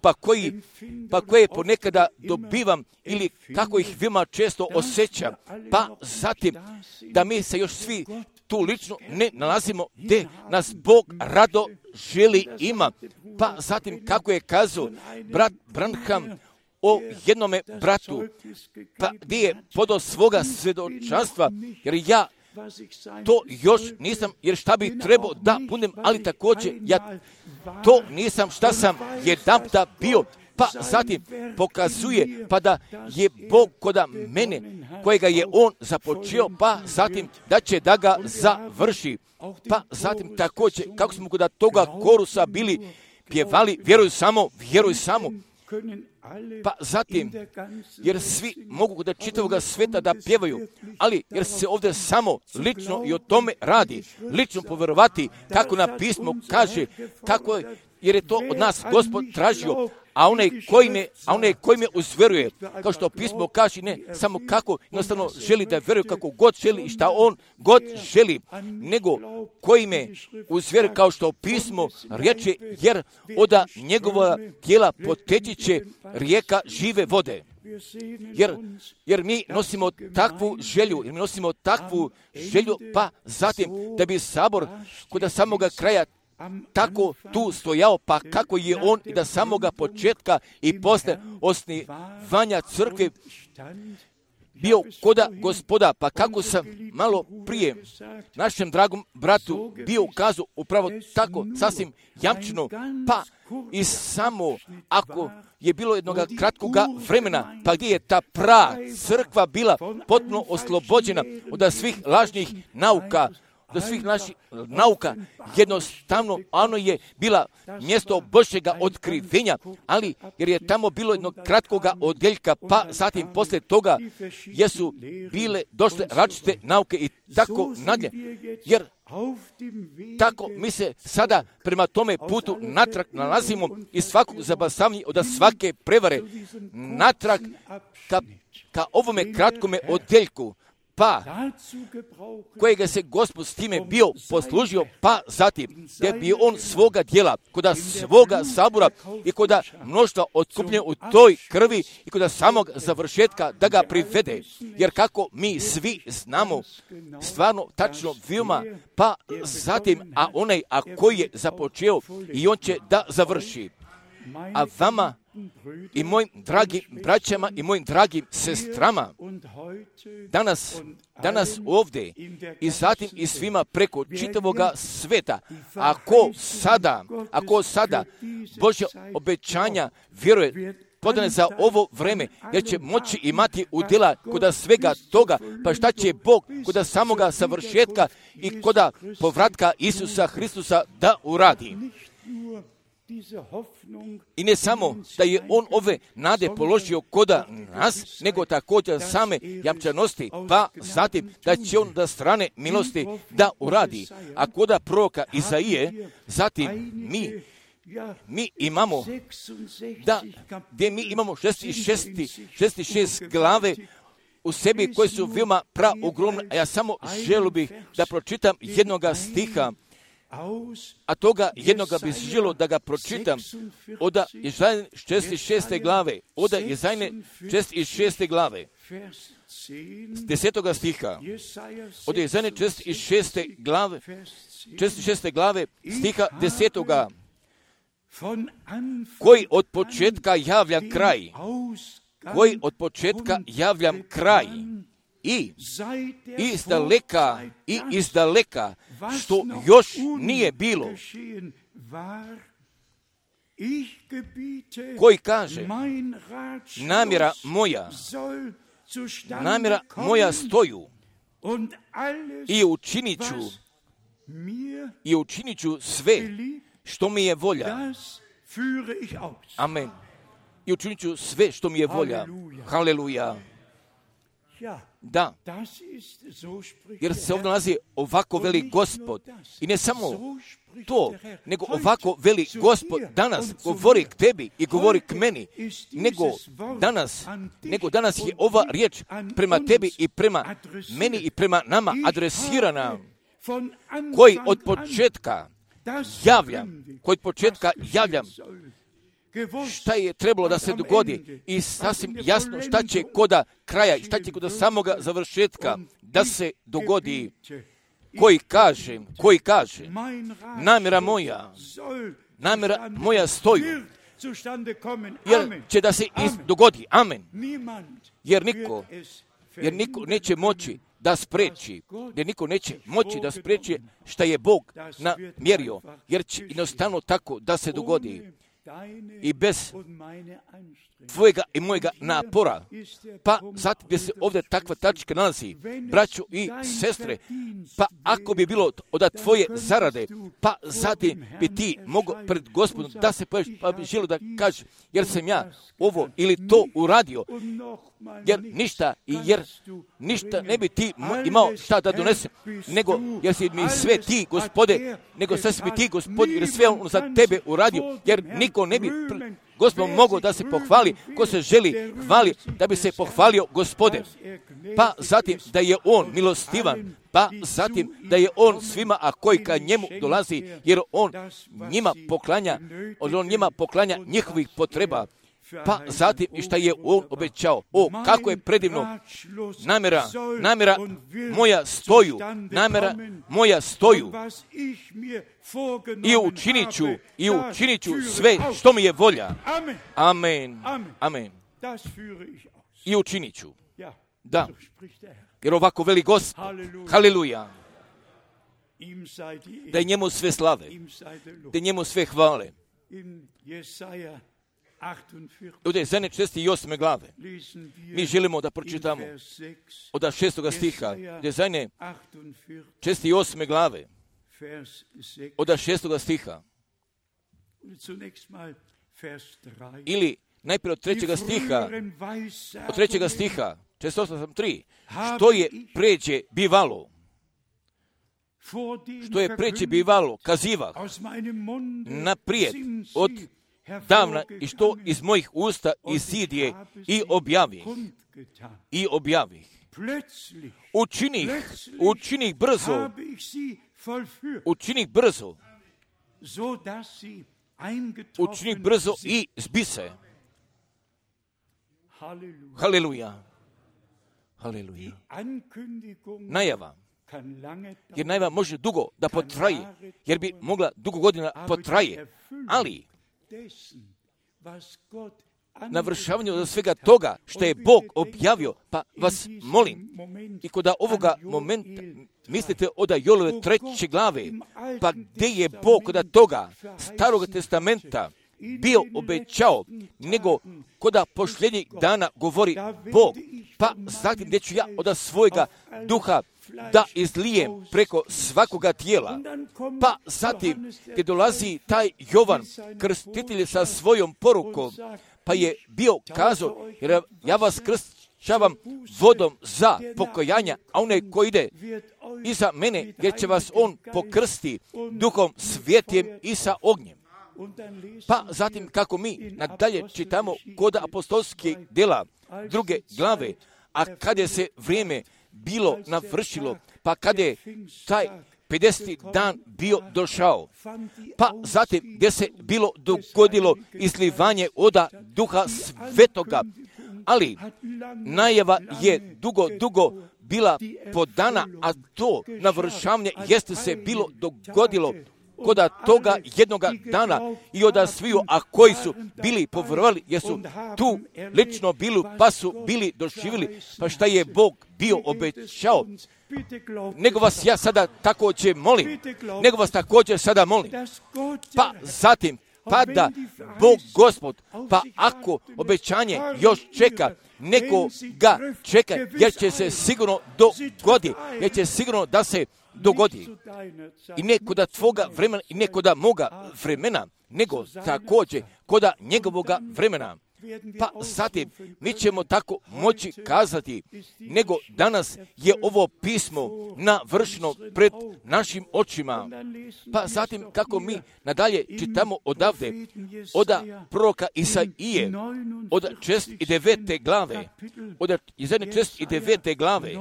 pa koje ponekada dobivam ili kako ih veoma često osjećam, pa zatim da mi se još svi tu lično ne nalazimo gdje nas Bog rado želi ima, pa zatim kako je kazao brat Branham o jednome bratu, pa gdje je podao svoga svjedočanstva, jer ja to još nisam, jer šta bi trebao da budem, ali također ja to nisam šta sam jedanputa bio, pa zatim pokazuje pa da je Bog koda mene, kojega je on započeo, pa zatim da će da ga završi. Pa zatim također, kako smo kod toga korusa bili pjevali, vjeruj samo, pa zatim, jer svi mogu kod čitavoga sveta da pjevaju, ali jer se ovdje samo lično i o tome radi, lično povjerovati kako na pismo kaže, kako je, jer je to od nas Gospod tražio, a onaj koji me uzveruje, kao što pismo kaže, ne samo kako jednostavno želi da veruje kako god želi i šta on god želi, nego koji me uzveruje, kao što pismo reče, jer od njegova tijela poteći će rijeka žive vode. Jer mi nosimo takvu želju, pa zatim da bi sabor kod samoga kraja tako tu stojao, pa kako je on i da samoga početka i posle osnivanja crkve bio koda Gospoda, pa kako sam malo prije našem dragom bratu bio ukazao upravo tako sasvim jamčeno, pa i samo ako je bilo jednog kratkog vremena, pa gdje je ta crkva bila potpuno oslobođena od svih lažnih nauka, do svih naših nauka, jednostavno ono je bila mjesto Božjega otkrivenja, ali jer je tamo bilo jednog kratkoga odjeljka, pa zatim poslije toga jesu bile došle različite nauke i tako nadalje, jer tako mi se sada prema tome putu natrag nalazimo i svakog zabasavanja od svake prevare natrag ka ovome kratkome odjeljku, pa kojega se Gospod s time bio poslužio, pa zatim gdje bi on svoga djela, koda svoga sabora i koda mnoštva otkupljenja u toj krvi i koda samog završetka da ga privede, jer kako mi svi znamo stvarno tačno veoma, pa zatim a koji je započeo i on će da završi. A vama i mojim dragim braćama i mojim dragim sestrama danas ovdje i zatim i svima preko čitavoga sveta, ako sada Božja obećanja vjeruje podane za ovo vreme, jer će moći imati udjela koda svega toga, pa šta će Bog koda samoga savršetka i koda povratka Isusa Hristusa da uradi. I ne samo da je on ove nade položio koda nas, nego također same jamčanosti, pa zatim da će on da strane milosti da uradi. A koda proroka Izaije, zatim mi mi imamo, gdje mi imamo 66 glave u sebi koje su veoma praogromne, a ja samo želio bih da pročitam jednoga stiha, a toga jednoga bih želio da ga pročitam od Jezajne 66. glave, od Jezajne 66. glave, 10. stiha, od Jezajne 66. glave, 66. glave, stiha 10. koji od početka javljam kraj, koji od početka javljam kraj, i izdaleka, što još nije bilo, koji kaže, namjera moja stoju i učinit ću sve što mi je volja. Amen. I učinit ću sve što mi je volja. Haleluja. Da, jer se ovdje nalazi ovako veli Gospod. I ne samo to, nego ovako veli Gospod danas govori k tebi i govori k meni, nego danas je ova riječ prema tebi i prema meni i prema nama adresirana, koji od početka javljam šta je trebalo da se dogodi i sasvim jasno šta će koda kraja i šta će koda samoga završetka da se dogodi, koji kaže, namjera moja stoju, jer će da se dogodi. Amen. Jer niko neće moći da spreči, jer niko neće moći da spreči šta je Bog namjerio, jer će jednostavno tako da se dogodi. I bez tvojega i mojega napora, pa zatim gdje se ovdje takva tačka nalazi, braćo i sestre, pa ako bi bilo od tvoje zarade, pa zatim bi ti mogao pred Gospodom da se pojaviš, pa bi želio da kaže, jer sam ja ovo ili to uradio, jer ništa ne bi ti imao šta da donese, nego jer si mi sve ti, Gospode, jer sve on za tebe uradio, jer niko ne bi Gospod mogao da se pohvali, ko se želi hvali, da bi se pohvalio Gospode. Pa zatim da je on milostivan, pa zatim da je on svima, a koji ka njemu dolazi, jer on njima poklanja njihovih potreba. Pa zatim i šta je on obećao. O, kako je predivno. Namjera moja stoju. I učinit ću sve što mi je volja. Amen. I učinit ću. Da. Jer ovako veli Gospod. Haleluja. Da je njemu sve slave. Da je njemu sve hvale. Od Jezajne 68. glave mi želimo da pročitamo od 6. stiha Jezajne 68. glave od 6. stiha ili najprije od 3. stiha, od 3. stiha 68.3, što je pređe bivalo kazivah naprijed od davna i što iz mojih usta isidje i objavih. Učinih brzo i zbise. Haleluja. Najava. Jer najava može dugo da potraje, jer bi mogla dugo godina potraje, ali navršavanju za svega toga što je Bog objavio, pa vas molim, i kod ovoga momenta mislite od Joelove 3. glave, pa gdje je Bog kod toga Starog testamenta bio obećao, nego kod posljednjih dana govori Bog, pa zatim gdje ću ja od svojega duha da izlijem preko svakoga tijela. Pa zatim gdje dolazi taj Jovan krstitelj sa svojom porukom, pa je bio kazao, jer ja vas kršćavam vodom za pokajanja, a onaj koji ide iza mene, jer će vas on pokrsti duhom svjetlim i sa ognjem. Pa zatim kako mi nadalje čitamo kod apostolskih djela 2. glave, a kad je se vrijeme bilo navršilo, pa kad je taj 50. dan bio došao, pa zatim gdje se bilo dogodilo izlivanje oda Duha Svetoga, ali najava je dugo bila podana, a to navršavanje jeste se bilo dogodilo koda toga jednoga dana i oda sviju, a koji su bili povjerovali, jer su tu lično bili, pa su bili doživjeli, pa šta je Bog bio obećao. Nego vas ja sada također molim, pa zatim, pa da Bog Gospod, pa ako obećanje još čeka, neko ga čeka, jer će se sigurno dogodi, jer će sigurno da se dogodi. I ne koda tvoga vremena, i ne koda moga vremena, nego također koda njegovoga vremena. Pa zatim mi ćemo tako moći kazati, nego danas je ovo pismo navršeno pred našim očima. Pa zatim kako mi nadalje čitamo odavde, od proroka Isaije, od 69. glave, od 69. glave,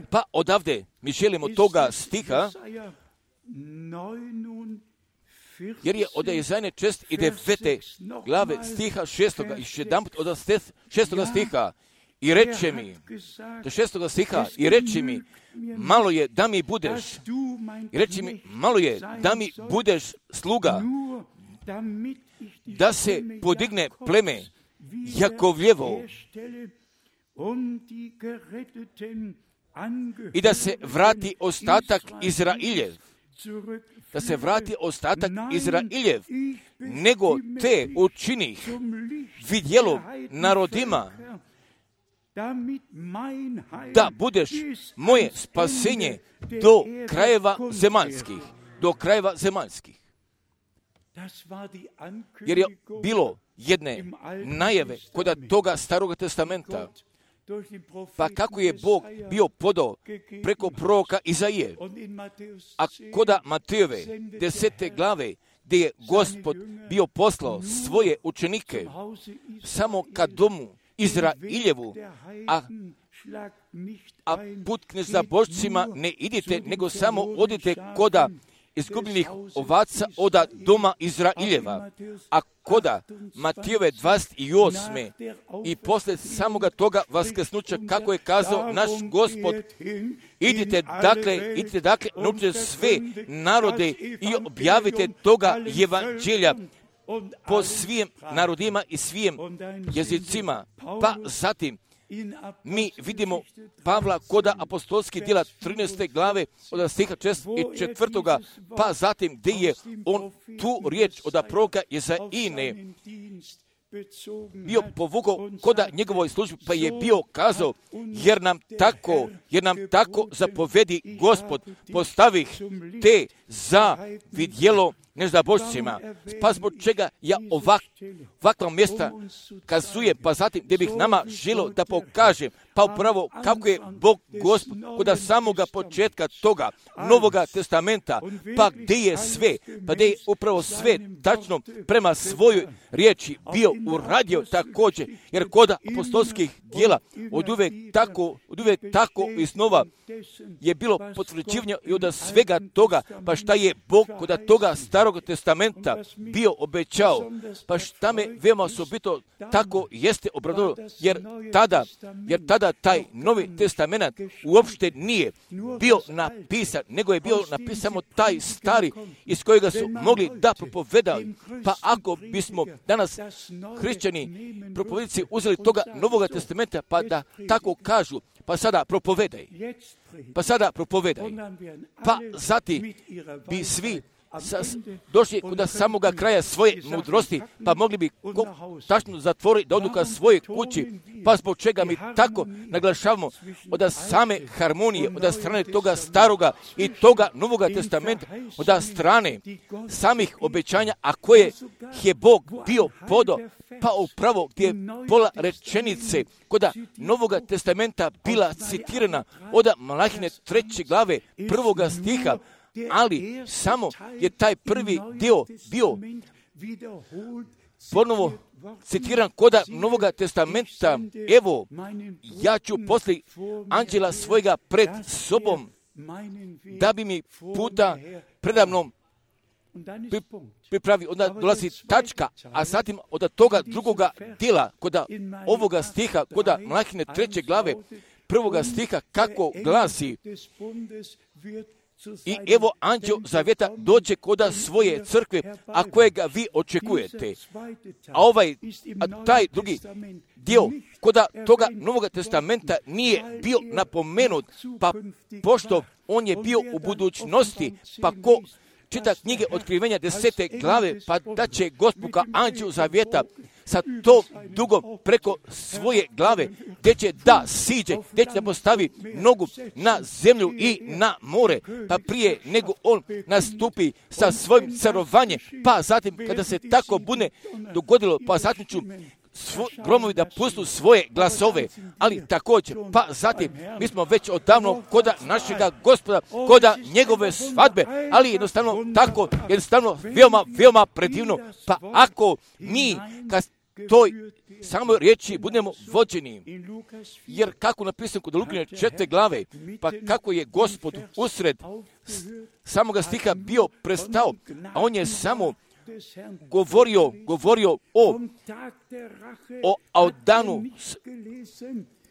pa odavde mi želimo toga stiha, jer je od Izaije 69. glave stiha 6. Još jedanput od 6. stiha. I reče mi, do 6. stiha, i reči mi, malo je da mi budeš, i reči mi, malo je da mi budeš sluga, da se podigne pleme Jakovljevo i da se vrati ostatak Izrailjev, nego te učinih vidjelo narodima, da budeš moje spasenje do krajeva zemaljskih. Jer je bilo jedne najave kod toga Staroga testamenta, pa kako je Bog bio podao preko proroka Izaije, a koda Matejove 10. glave, gdje je Gospod bio poslao svoje učenike samo ka domu Izrailjevu, a put k nezabožcima ne idite, nego samo odite koda izgubljenih ovaca oda doma Izraeljeva, a koda Matijove 28. i posle samoga toga vaskrsnuća, kako je kazao naš Gospod, idite dakle, naučite sve narode i objavite toga evanđelja po svim narodima i svim jezicima. Pa zatim mi vidimo Pavla koda apostolskih djela 13. glave od stiha 4. pa zatim gdje je on tu riječ od proroka Izaijine bio povukao koda njegovoj službi, pa je bio kazao, jer nam tako zapovedi Gospod, postavih te za vidjelo nezabožcima. Pa zbog čega ja ovakva mjesta kazujem, pa zatim gdje bih nama želio da pokažem, pa upravo kako je Bog Gospod kod samoga početka toga Novoga testamenta, pa gdje je sve, pa gdje je upravo sve tačno prema svojoj riječi bio uradio također, jer kod apostolskih djela od uvijek tako iznova je bilo potvrđivanje i od svega toga, pa šta je Bog kod toga Starog testamenta bio obećao, pa šta me veoma osobito tako jeste obradovalo, jer tada taj Novi testament uopšte nije bio napisan, nego je bio napisan samo taj stari iz kojega su mogli da propovedali. Pa ako bismo danas hrišćani propovjednici uzeli toga Novoga testamenta, pa da tako kažu, pa sada propovedaj, pa zatim bi svi došli kod samoga kraja svoje mudrosti, pa mogli bi tačno zatvoriti da odu ka svoje kući, pa zbog čega mi tako naglašavamo od same harmonije, od strane toga staroga i toga Novoga testamenta, od strane samih obećanja, a koje je Bog bio podao, pa upravo gdje je pola rečenice kod Novoga testamenta bila citirana od Malahine 3. glave 1. stiha, ali samo je taj prvi dio bio ponovo citiram koda Novoga testamenta. Evo, ja ću poslije anđela svojega pred sobom, da bi mi puta predamnom pripravi. Onda dolazi tačka, a zatim od toga drugoga dijela, koda ovoga stiha, koda Malahine 3. glave, 1. stiha, kako glasi: i evo anđeo zavjeta dođe koda svoje crkve, a kojega vi očekujete. A taj drugi dio koda toga Novoga testamenta nije bio napomenut, pa pošto on je bio u budućnosti, pa ko čita knjige Otkrivenja 10. glave, pa da će Gospod ka anđelu zavjeta sa to dugo preko svoje glave, gdje će da siđe, gdje će da postavi nogu na zemlju i na more, pa prije nego on nastupi sa svojim carovanjem, pa zatim kada se tako bude dogodilo, pa zatim ću gromovi da pustu svoje glasove, ali također, pa zatim, mi smo već odavno koda našega Gospoda, koda njegove svadbe, ali jednostavno tako, jednostavno veoma predivno, pa ako mi kad toj samoj riječi budemo vođeni, jer kako napisano kod Lukine 4. glave, pa kako je Gospod usred samoga stiha bio prestao, a on je samo govorio o danu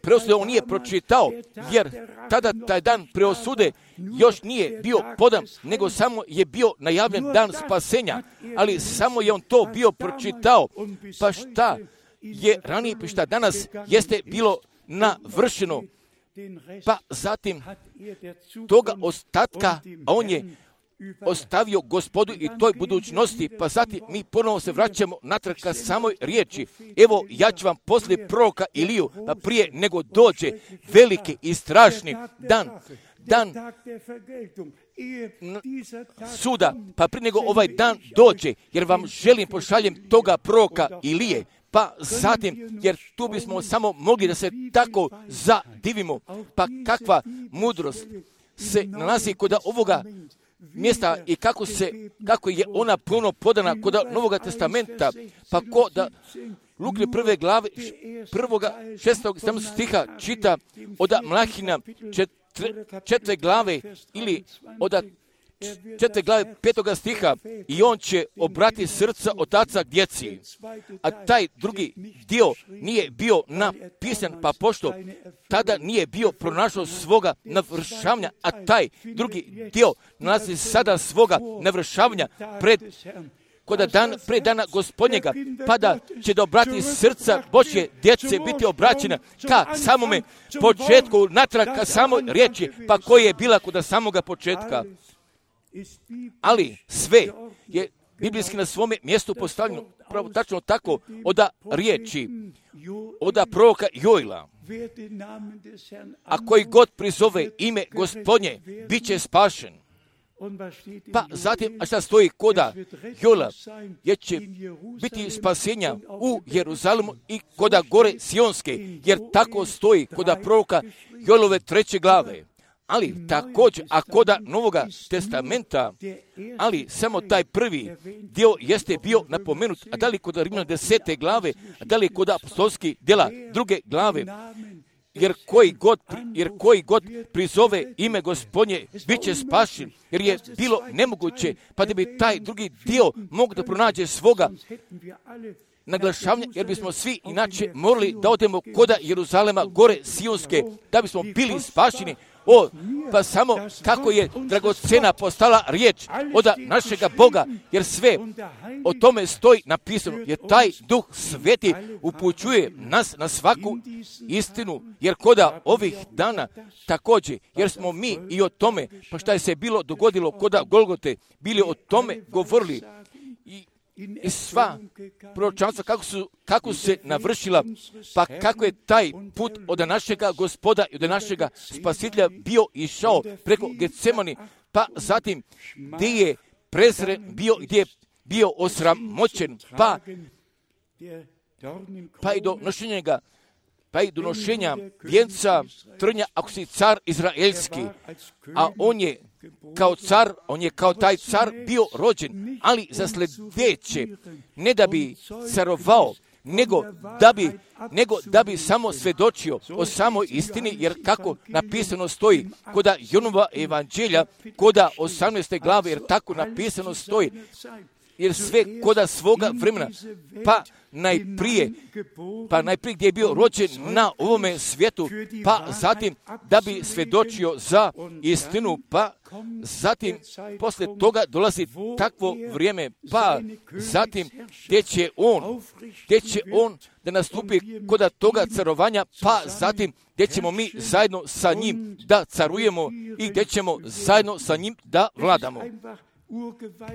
preosude, on nije pročitao, jer tada taj dan preosude još nije bio podan, nego samo je bio najavljen dan spasenja, ali samo je on to bio pročitao, pa šta je ranije, pa šta danas jeste bilo navršeno, pa zatim toga ostatka, a on je ostavio Gospodu i toj budućnosti, pa zatim mi ponovo se vraćamo natrag ka samoj riječi. Evo, ja ću vam poslije proroka Iliju, pa prije nego dođe veliki i strašni dan suda, pa prije nego ovaj dan dođe, jer vam pošaljem toga proroka Ilije, pa zatim, jer tu bismo samo mogli da se tako zadivimo, pa kakva mudrost se nalazi kod ovoga mjesta i kako je ona puno podana kod Novoga testamenta, pa ko da Lukine 1. glave 6. stiha čita od Malahina 4. glave ili od 4. glave 5. stiha, i on će obrati srca otaca k djeci. A taj drugi dio nije bio napisan, pa pošto tada nije bio pronašao svoga navršavanja, a taj drugi dio nalazi sada svoga navršavanja pred dana Gospodnjega, pa da će da obrati srca Božje djece biti obraćena ka samome početku, natrag ka samoj riječi, pa koja je bila kod samoga početka. Ali sve je biblijski na svome mjestu postavljeno pravo tačno tako od riječi, od proroka Joila. A koji god prizove ime Gospodnje, bit će spašen. Pa zatim, a šta stoji koda Joila, jer će biti spasenja u Jeruzalemu i koda gore Sionske, jer tako stoji koda proroka Joilove 3. glave. Ali također, a koda Novoga testamenta, ali samo taj prvi dio jeste bio napomenut, a da li kod Rimljana 10. glave, a da li kod apostolskih djela 2. glave, jer koji god prizove ime Gospodnje, bit će spašen, jer je bilo nemoguće, pa da bi taj drugi dio mogu da pronađe svoga naglašavanja, jer bismo svi inače morali da odemo koda Jeruzalema gore Sionske, da bismo bili spašeni. Pa samo kako je dragocena postala riječ od našega Boga, jer sve o tome stoji napisano, jer taj Duh Sveti upućuje nas na svaku istinu, jer koda ovih dana također, jer smo mi i o tome, pa šta je se bilo dogodilo koda Golgote, bili o tome govorili, i sva proročanstva kako se navršila, pa kako je taj put od našega Gospoda i od našega Spasitelja bio išao preko Getsemani, pa zatim gdje je prezren bio, gdje je bio osramoćen, pa i donošenja vijenca trnja, ako si car izraelski, a on je kao car, on je kao taj car bio rođen, ali za sljedeće, ne da bi carovao, nego da bi samo svedočio o samoj istini, jer kako napisano stoji koda Jonova evanđelja, koda 18. glave, jer tako napisano stoji, jer sve koda svoga vremena, pa najprije gdje je bio rođen na ovome svijetu, pa zatim da bi svedočio za istinu, pa zatim poslije toga dolazi takvo vrijeme, pa zatim gdje će on da nastupi koda toga carovanja, pa zatim gdje ćemo mi zajedno sa njim da carujemo i gdje ćemo zajedno sa njim da vladamo.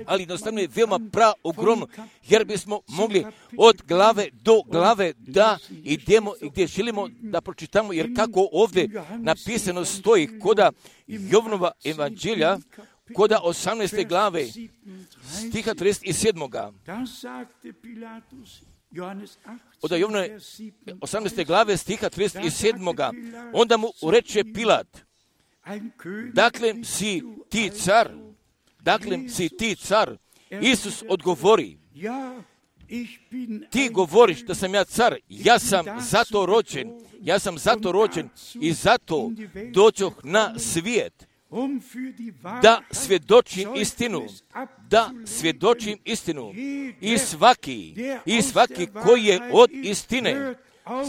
Ali jednostavno je veoma ogromno, jer bismo mogli od glave do glave da idemo i gdje želimo da pročitamo, jer kako ovdje napisano stoji koda Jovanova evanđelja, koda 18. glave stiha 37. Od Jovanove 18. glave stiha 37. Onda mu reče Pilat, dakle si ti car? Isus odgovori, ti govoriš da sam ja car, ja sam zato rođen i zato dođoh na svijet, da svjedočim istinu. I svaki koji je od istine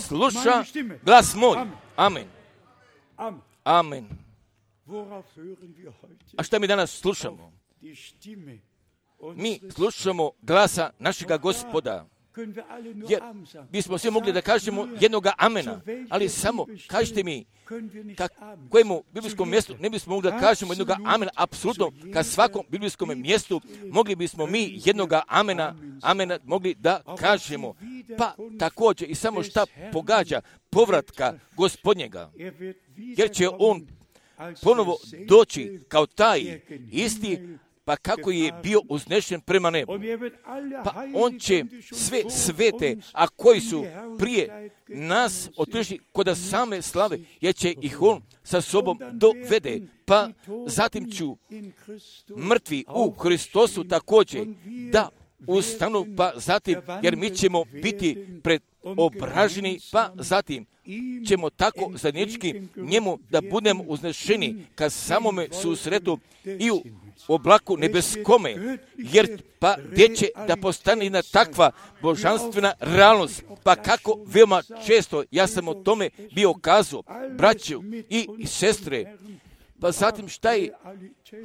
sluša glas moj. Amen. Amen. A šta mi danas slušamo? Mi slušamo glasa našega Gospoda, jer bismo svi mogli da kažemo jednoga amena, ali samo kažite mi kojemu biblijskom mjestu ne bismo mogli da kažemo jednoga amena, apsolutno ka svakom biblijskom mjestu mogli bismo mi jednoga amena mogli da kažemo. Pa također i samo šta pogađa povratka Gospodnjega, jer će on ponovo doći kao taj isti, pa kako je bio uznešen prema nebu. Pa on će sve svete, a koji su prije nas otišli kod same slave, jer će ih on sa sobom dovede. Pa zatim ću mrtvi u Hristosu također da ustanu, pa zatim, jer mi ćemo biti preobraženi, pa zatim ćemo tako zajednički njemu da budemo uznešeni ka samome susretu i u oblaku nebeskome, jer pa gdje će da postane jedna takva božanstvena realnost. Pa kako veoma često ja sam o tome bio kazao, braću i sestre. Pa zatim šta je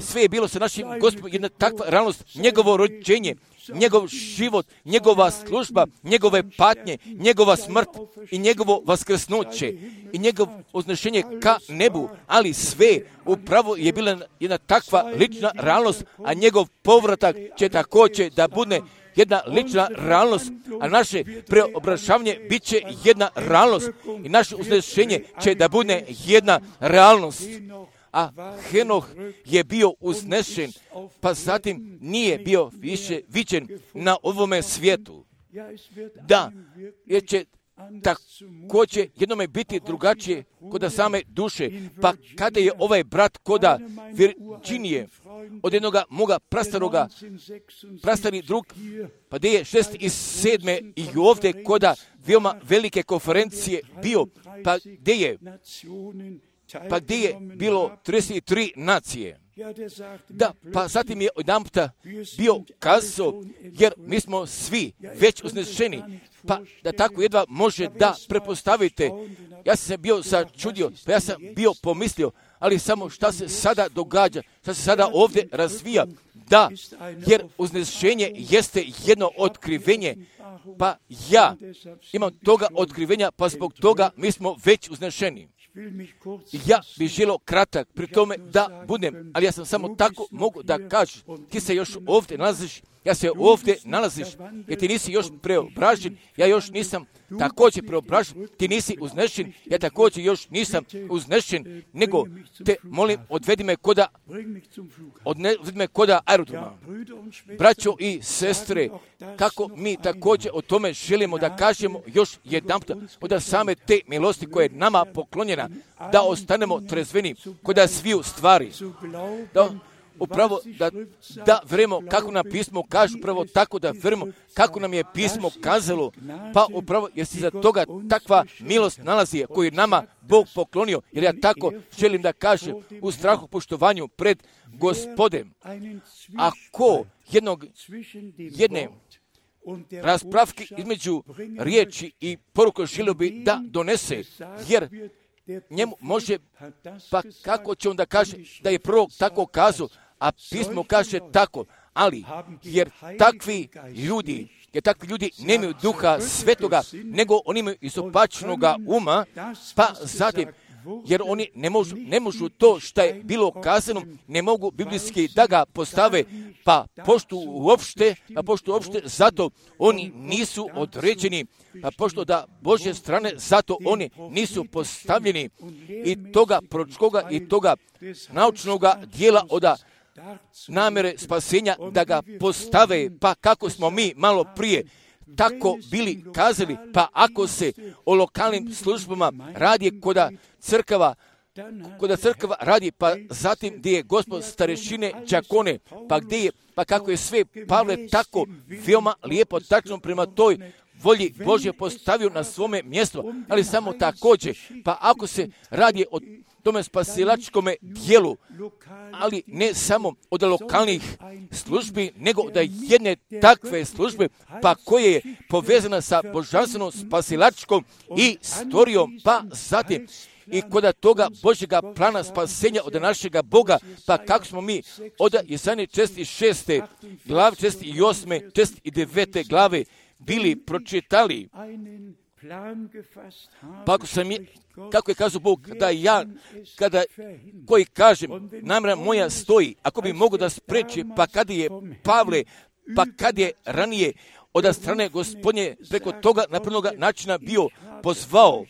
sve je bilo sa našim Gospodom, jedna takva realnost, njegovo rođenje, njegov život, njegova služba, njegove patnje, njegova smrt i njegovo vaskrsnuće i njegov uznešenje ka nebu, ali sve upravo je bila jedna takva lična realnost, a njegov povratak će također da bude jedna lična realnost, a naše preobražavanje bit će jedna realnost i naše uznešenje će da bude jedna realnost. A Henoh je bio uznešen, pa zatim nije bio više viđen na ovome svijetu. Da, jer će također jednome biti drugačije kod same duše. Pa kada je ovaj brat koda Virginije, od jednoga moga prastari drug, pa gdje je 6. i 7. i ovdje koda veoma velike konferencije bio, pa gdje je bilo 33 nacije. Da, pa zatim je odjedanputa bio kazao, jer mi smo svi već uznešeni, pa da tako jedva može da prepostavite. Ja sam se bio začudio, pa ja sam bio pomislio, ali samo šta se sada događa, šta se sada ovdje razvija, da, jer uznešenje jeste jedno otkrivenje, pa ja imam toga otkrivenja, pa zbog toga mi smo već uznešeni. Ja bih želio kratak pri tome da budem, ali ja sam samo tako mogu da kažem, ti se još ovdje nalaziš ja se ovdje nalaziš, jer ti nisi još preobražen, ja još nisam također preobražen, ti nisi uznešen, ja također još nisam uznešen, nego te molim, odvedi me koda aerodroma. Braćo i sestre, kako mi također o tome želimo da kažemo još jedanput, od same te milosti koje je nama poklonjena, da ostanemo trezveni kod sviju stvari, upravo da verujemo kako nam pismo kaže, upravo tako da verujemo kako nam je pismo kazalo, pa upravo jer se za toga takva milost nalazi koju nama Bog poklonio, jer ja tako želim da kažem u strahu poštovanju pred Gospodem. Ako jedne raspravke između riječi i poruke želio bi da donese, jer njemu može, pa kako će on da kaže da je prorok tako kazao, a pismo kaže tako, ali jer takvi ljudi nemaju duha svetoga, nego oni imaju izopačenoga uma, pa zatim, jer oni ne možu to što je bilo kazano, ne mogu biblijski da ga postave, pa pošto uopšte, zato oni nisu određeni, pa pošto da Božje strane, zato oni nisu postavljeni i toga proročkoga i toga naučnoga dijela od namjere spasenja da ga postave, pa kako smo mi malo prije tako bili kazali, pa ako se o lokalnim službama radi koda crkava radi, pa zatim gdje je Gospod starešine, đakone, pa kako je sve Pavle tako veoma lijepo, tačno prema toj volji Božje postavio na svome mjestu, ali samo također, pa ako se radi o tome spasilačkome dijelu, ali ne samo od lokalnih službi, nego da jedne takve službe, pa koje je povezana sa božanstvenom spasilačkom istorijom, pa zatim i kod toga Božjega plana spasenja od našega Boga, pa kako smo mi od Jesaje 46. glave, 48. 49. glave bili pročitali, pa kako je kazao Bog, da ja, koji kažem, namjera moja stoji, ako bi mogo da spreči, pa kad je Pavle, pa kad je ranije od strane Gospodnje preko toga napravnog načina bio pozvao,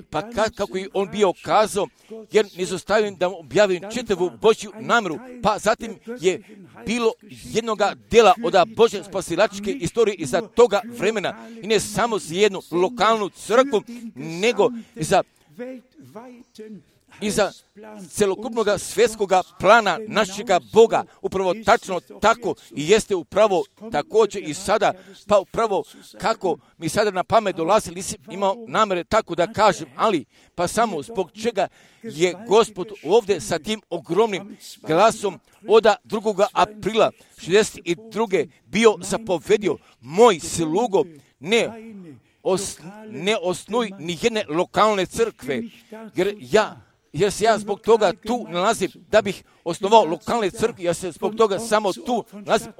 pa kako je on bio kazao, jer ne zostavim da objavim čitavu Božju namjeru, pa zatim je bilo jednoga dela od Božje spasilačke istorije iza toga vremena, i ne samo za jednu lokalnu crkvu, nego i za celokupnog svjetskog plana našega Boga, upravo tačno tako i jeste upravo također i sada, pa upravo kako mi sada na pamet dolazi, nisam imao namjere tako da kažem, ali pa samo zbog čega je Gospod ovdje sa tim ogromnim glasom od 2. aprila 62. bio zapovedio, moj slugo, ne osnuj ni jedne lokalne crkve, jer se ja zbog toga tu nalazim da bih osnovao lokalne crkve, ja se zbog toga samo tu nalazim,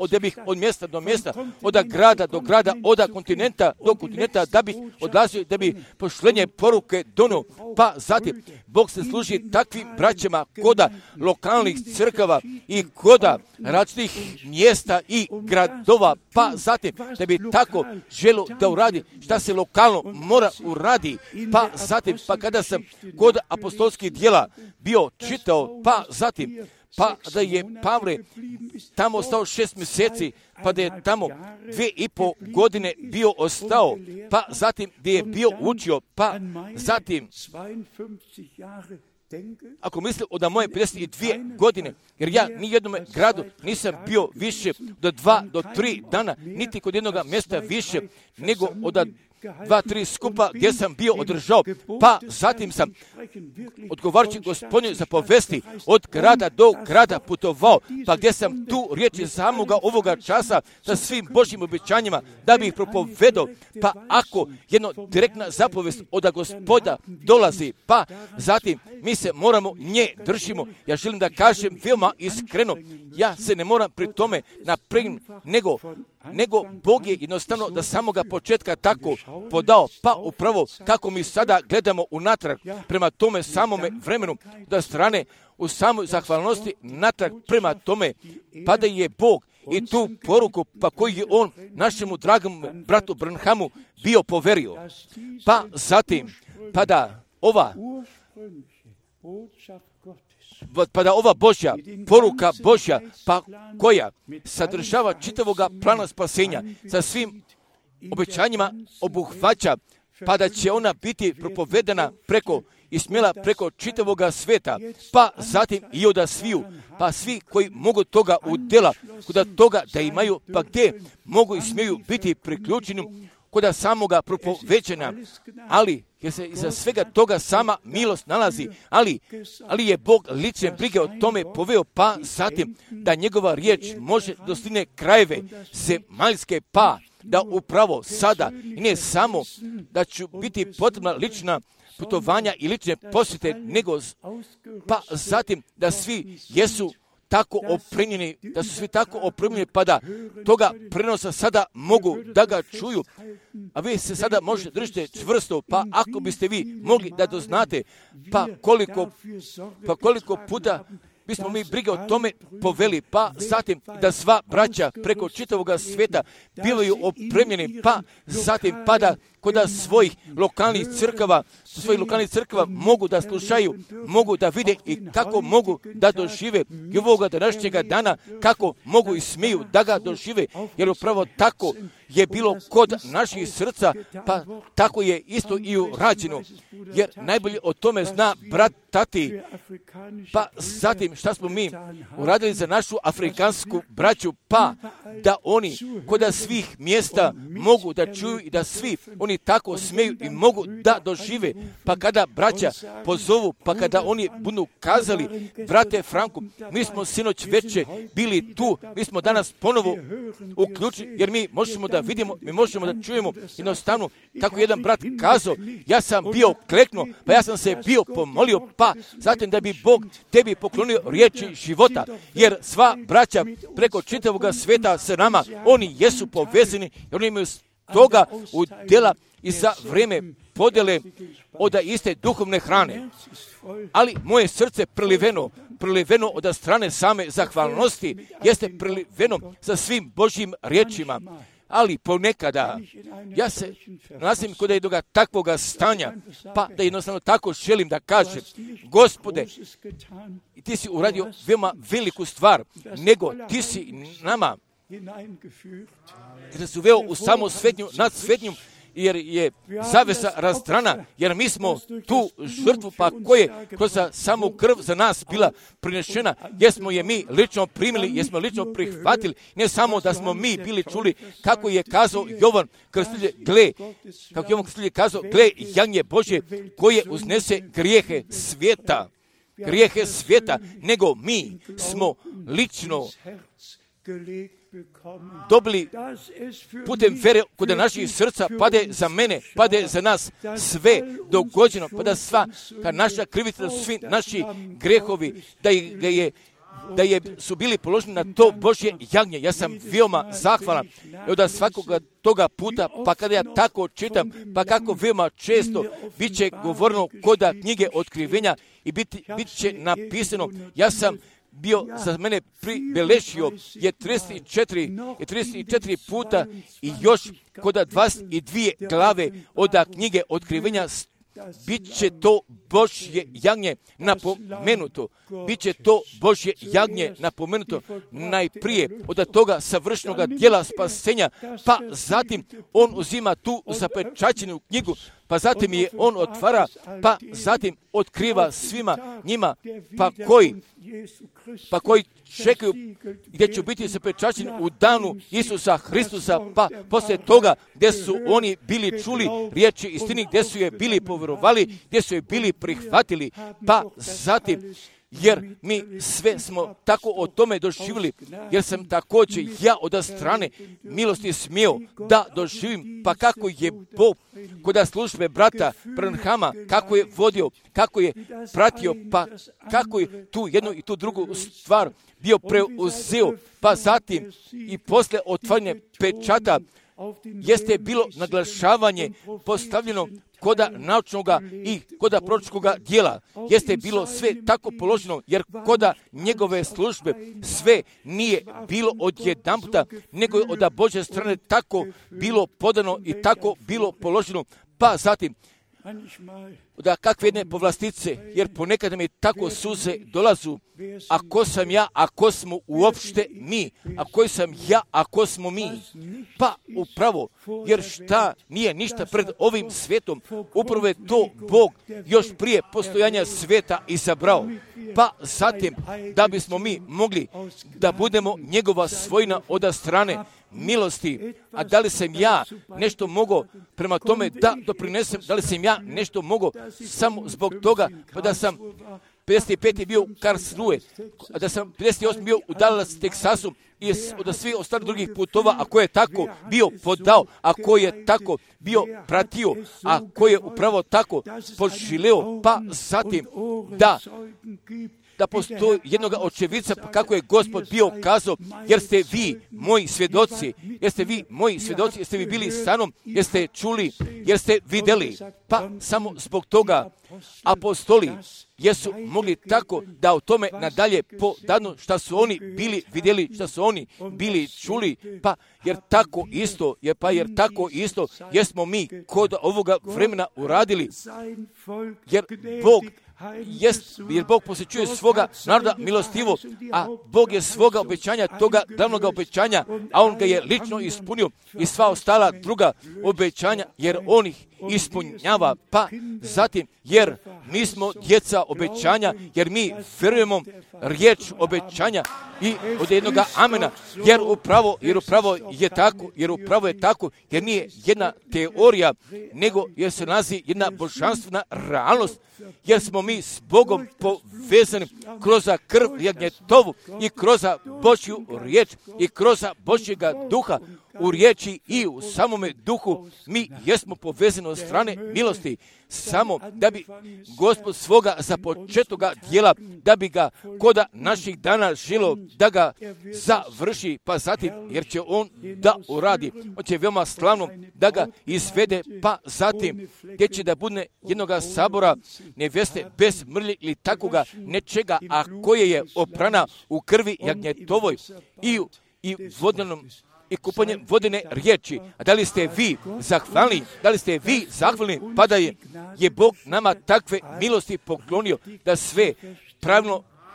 od mjesta do mjesta, od grada do grada, od kontinenta do kontinenta, da bih odlazio, da bih pošlenje poruke donio, pa zatim Bog se služi takvim braćama koda lokalnih crkava i koda različitih mjesta i gradova, pa zatim da bi tako želo da uradi šta se lokalno mora uradi, pa zatim, pa kada sam kod apostolskih djela bio čitao, pa zatim, pa da je Pavle tamo ostao 6 mjeseci, pa da je tamo 2,5 godine bio ostao, pa zatim gdje je bio učio, pa zatim, ako mislim od moje 52 godine, jer ja ni jednom gradu nisam bio više do 2 do 3 dana, niti kod jednog mjesta više, nego od 2-3 skupa gdje sam bio održao, pa zatim sam odgovarajući Gospodinu zapovesti od grada do grada putovao, pa gdje sam tu riječi samoga ovoga časa sa svim Božjim obećanjima da bi ih propovedao, pa ako jedno direktna zapovest od Gospoda dolazi, pa zatim mi se moramo nje držimo. Ja želim da kažem veoma iskreno, ja se ne moram pri tome napregnuti, nego Bog je jednostavno da samoga početka tako podao, pa upravo kako mi sada gledamo unatrag prema tome samome vremenu, da strane u samoj zahvalnosti natrag prema tome, pa da je Bog i tu poruku, pa koju je on našemu dragom bratu Branhamu bio poverio. Pa zatim, pa da ova Božja poruka Božja, pa koja sadržava čitavoga plana spasenja sa svim obećanjima obuhvaća, pa da će ona biti propovedana preko i smjela preko čitavoga sveta, pa zatim i od sviju, pa svi koji mogu toga udjela, kod toga da imaju, pa gdje mogu i smiju biti priključeni kod samoga propoveđenja, ali jer se iza svega toga sama milost nalazi, ali je Bog lične brige o tome poveo, pa zatim da njegova riječ može dostigne krajeve zemaljske, pa da upravo sada i ne samo da će biti potrebna lična putovanja i lične posjete, nego pa zatim da svi jesu tako opremljeni, da su svi tako opremljeni, pa da toga prenosa sada mogu da ga čuju, a vi se sada možete držite čvrsto, pa ako biste vi mogli da doznate, pa koliko puta bismo mi brige o tome poveli, pa zatim da sva braća preko čitavoga svijeta bivaju opremljeni, pa zatim pa da kod svojih lokalnih crkava mogu da slušaju, mogu da vide i kako mogu da dožive i ovoga današnjega dana, kako mogu i smiju da ga dožive, jer upravo tako je bilo kod naših srca, pa tako je isto i urađeno, jer najbolje o tome zna brat Tati. Pa zatim šta smo mi uradili za našu afrikansku braću, pa da oni kod svih mjesta mogu da čuju i da svi oni tako smeju i mogu da dožive, pa kada braća pozovu, pa kada oni budu kazali, brate Franku, mi smo sinoć veče bili tu, mi smo danas ponovo uključeni, jer mi možemo da vidimo, mi možemo da čujemo jednostavno, kako jedan brat kazao, ja sam bio kleknuo, pa ja sam se bio pomolio, pa zatim da bi Bog tebi poklonio riječi života, jer sva braća preko čitavog sveta sa nama, oni jesu povezani, jer oni imaju toga udjela i za vrijeme podjele od iste duhovne hrane. Ali moje srce preliveno od strane same zahvalnosti, jeste preliveno za svim Božjim riječima. Ali ponekada ja se nalazim kod jednoga takvoga stanja, pa da jednostavno tako želim da kažem, Gospode, ti si uradio veoma veliku stvar, nego ti si nama, jer si uveo u samo svetnju, nad svetnjom, jer je zavesa razdrana, jer mi smo tu žrtvu, pa koje kroz samu krv za nas bila prinešena, jesmo je mi lično primili, jesmo lično prihvatili, ne samo da smo mi bili čuli kako je kazao Jovan Krstitelj, gle jagnje Božje koje uznese grijehe svijeta, nego mi smo lično dobili putem vere kod naših srca, pade za mene, pade za nas sve dogođeno, pa da sva naša krivica, da su svi naši grehovi, da su bili položeni na to Božje jagnje. Ja sam veoma zahvalan od svakoga toga puta, pa kada ja tako čitam, pa kako veoma često bit će govoreno kod knjige otkrivenja i bit će napisano, ja sam bio za mene pribelešio je 34 puta i još kod 22 glave od knjige otkrivenja bit će to Božje jagnje napomenuto. Biće to Božje jagnje napomenuto najprije od toga savršenog djela spasenja, pa zatim on uzima tu zapečaćenu knjigu, pa zatim je on otvara, pa zatim otkriva svima njima, pa koji čekaju gdje će biti zapečaćeni u danu Isusa Hristusa, pa poslije toga gdje su oni bili čuli riječi istini, gdje su je bili povjerovali, gdje su je bili prihvatili, pa zatim jer mi sve smo tako o tome doživjeli, jer sam također ja od strane milosti smio da doživim, pa kako je Bog kod službe brata Branhama, kako je vodio, kako je pratio, pa kako je tu jednu i tu drugu stvar bio preuzeo, pa zatim i posle otvaranja pečata jeste bilo naglašavanje postavljeno koda naučnoga i koda proročkoga dijela. Jeste bilo sve tako položeno, jer koda njegove službe sve nije bilo odjedanputa, nego je od Božje strane tako bilo podano i tako bilo položeno. Pa zatim, da kakve jedne povlastice, jer ponekad mi tako suze dolazu, ako sam ja, ako smo uopšte mi, ako sam ja, ako smo mi, pa upravo, jer šta nije ništa pred ovim svijetom, upravo je to Bog još prije postojanja svijeta izabrao, pa zatim da bismo mi mogli da budemo njegova svojina od strane milosti. A da li sam ja nešto mogao prema tome da doprinesem, da li sam ja nešto mogao samo zbog toga, pa da sam 55. bio u Karlsruhe, a da sam 58. bio u Dallas, Teksasu i od svih ostalih drugih putova, a ko je tako bio podao, a ko je tako bio pratio, a ko je upravo tako poželeo, pa zatim da postoji jednog očevica, pa kako je Gospod bio kazao, jer ste vi moji svjedoci, jeste vi bili sa mnom, jeste čuli, jer ste vidjeli, pa samo zbog toga apostoli jesu mogli tako da o tome nadalje podanu šta su oni bili vidjeli, šta su oni bili čuli, pa jer tako isto jesmo mi kod ovoga vremena uradili, jer Bog posjećuje svoga naroda milostivo, a Bog je svoga obećanja, toga glavnog obećanja, a On ga je lično ispunio i sva ostala druga obećanja, jer On ih ispunjava, pa zatim, jer mi smo djeca obećanja, jer mi vjerujemo riječ obećanja i od jednoga amena, jer upravo je tako, jer nije jedna teorija, nego jer se nalazi jedna božanstvena realnost, jer smo mi s Bogom povezani kroz krv jagnjetovu i kroz Božju riječ i kroz Božjega duha u riječi i u samome duhu. Mi jesmo povezani od strane milosti, samo da bi Gospod svoga započetoga djela, da bi ga koda naših dana žilo, da ga završi, pa zatim, jer će On da uradi, On će veoma slavno da ga izvede, pa zatim, gdje će da bude jednoga sabora neveste bez mrlje ili takoga nečega, a koje je oprana u krvi jagnjetovoj i vodenom i kupanjem vodene riječi. A da li ste vi zahvalni, pa da je Bog nama takve milosti poklonio, da sve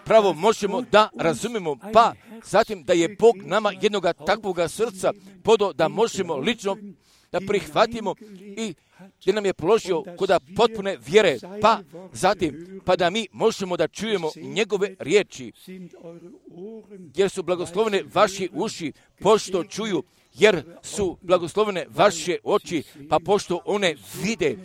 pravo možemo da razumemo, pa zatim da je Bog nama jednoga takvoga srca podao da možemo lično da prihvatimo i gdje nam je položio koda potpune vjere, pa zatim, pa da mi možemo da čujemo njegove riječi, jer su blagoslovene vaši uši, pošto čuju, jer su blagoslovene vaše oči, pa pošto one vide,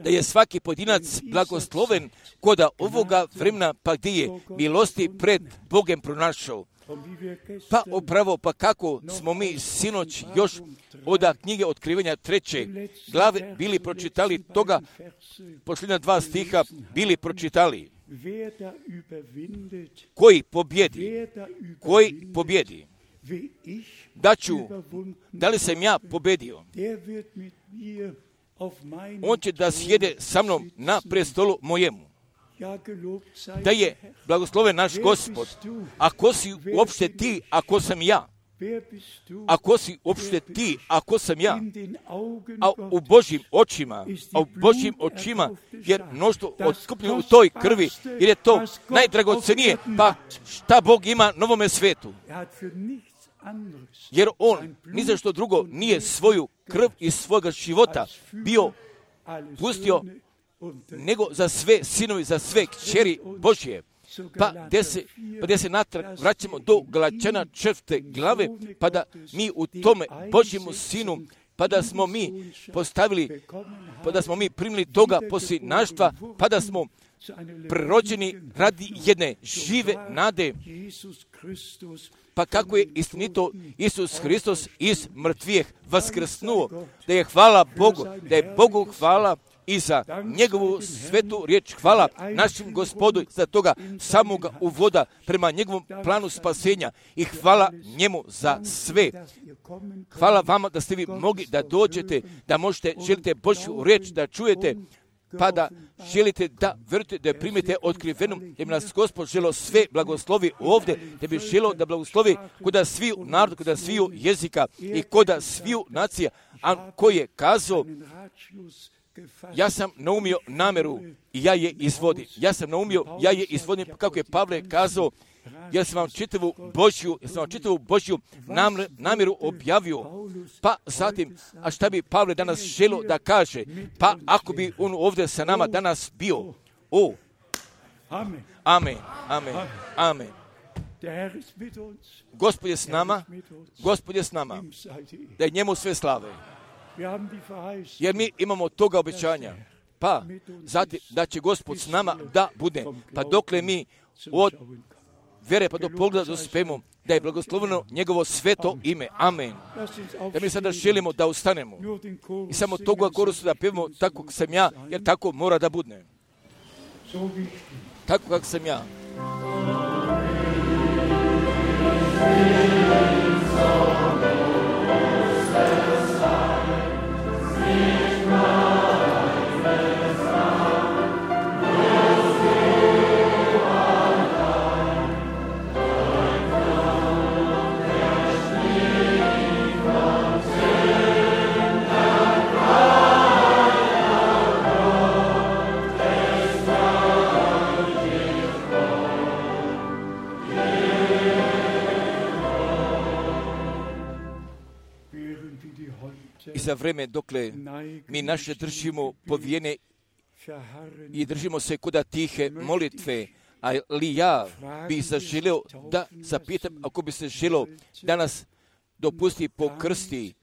da je svaki pojedinac blagosloven koda ovoga vremena, pa gdje je milosti pred Bogem pronašao. Pa upravo, pa kako smo mi sinoć još od knjige Otkrivenja 3. glave bili pročitali toga, posljednja 2 stiha bili pročitali. Koji pobjedi? Da li sam ja pobjedio? On će da sjede sa mnom na prestolu mojemu. Da je blagosloven naš Gospod. Ako si uopšte ti, ako sam ja. Ako si uopšte ti, ako sam ja. A u Božjim očima, jer mnoštvo otkupljeno u toj krvi, jer je to najdragocenije, pa šta Bog ima na ovome svetu? Jer On ni za što drugo nije svoju krv iz svoga života bio pustio, nego za sve sinovi, za sve kćeri Božje. Pa gdje se natrag vraćamo do Galačana 4. glave, pa da mi u tome Božjemu sinu, pa da smo mi postavili, pa da smo mi primili toga posljednaštva, pa da smo prerođeni radi jedne žive nade. Pa kako je istinito Isus Hristos iz mrtvijeh vaskrsnuo, da je hvala Bogu, da je Bogu hvala i za njegovu svetu riječ. Hvala našem Gospodu za toga samoga uvoda prema njegovom planu spasenja i hvala njemu za sve. Hvala vama da ste vi mogli da dođete, da možete, želite Božju riječ da čujete, pa da želite da verujete, da je primite otkrivenom, da bi nas Gospod želo sve blagoslovi ovdje, da bi želo da blagoslovi koda sviju narodu, koda sviju jezika i koda sviju nacija, a koji je kazao, ja sam naumio nameru i ja je izvodim. Ja sam naumio, ja je izvodim, kako je Pavle kazao, ja sam vam čitavu Božju namjeru objavio. Pa zatim, a šta bi Pavle danas želio da kaže? Pa ako bi on ovdje sa nama danas bio. Amen, amen, amen. Gospod je s nama, Gospod je s nama, da je njemu sve slave. Jer mi imamo toga obećanja. Pa zatim da će Gospod s nama da bude. Pa dokle mi od vere pa do pogleda dospemo, da je blagosloveno njegovo sveto ime. Amen. Da mi sada želimo da ustanemo i samo toga korusu da pevamo tako kako sam ja, jer tako mora da bude. Tako kako sam ja. I za vreme dokle mi naše držimo povijene i držimo se kuda tihe molitve, ali ja bih zaželio da zapitam, ako bi se želio danas dopusti po krsti,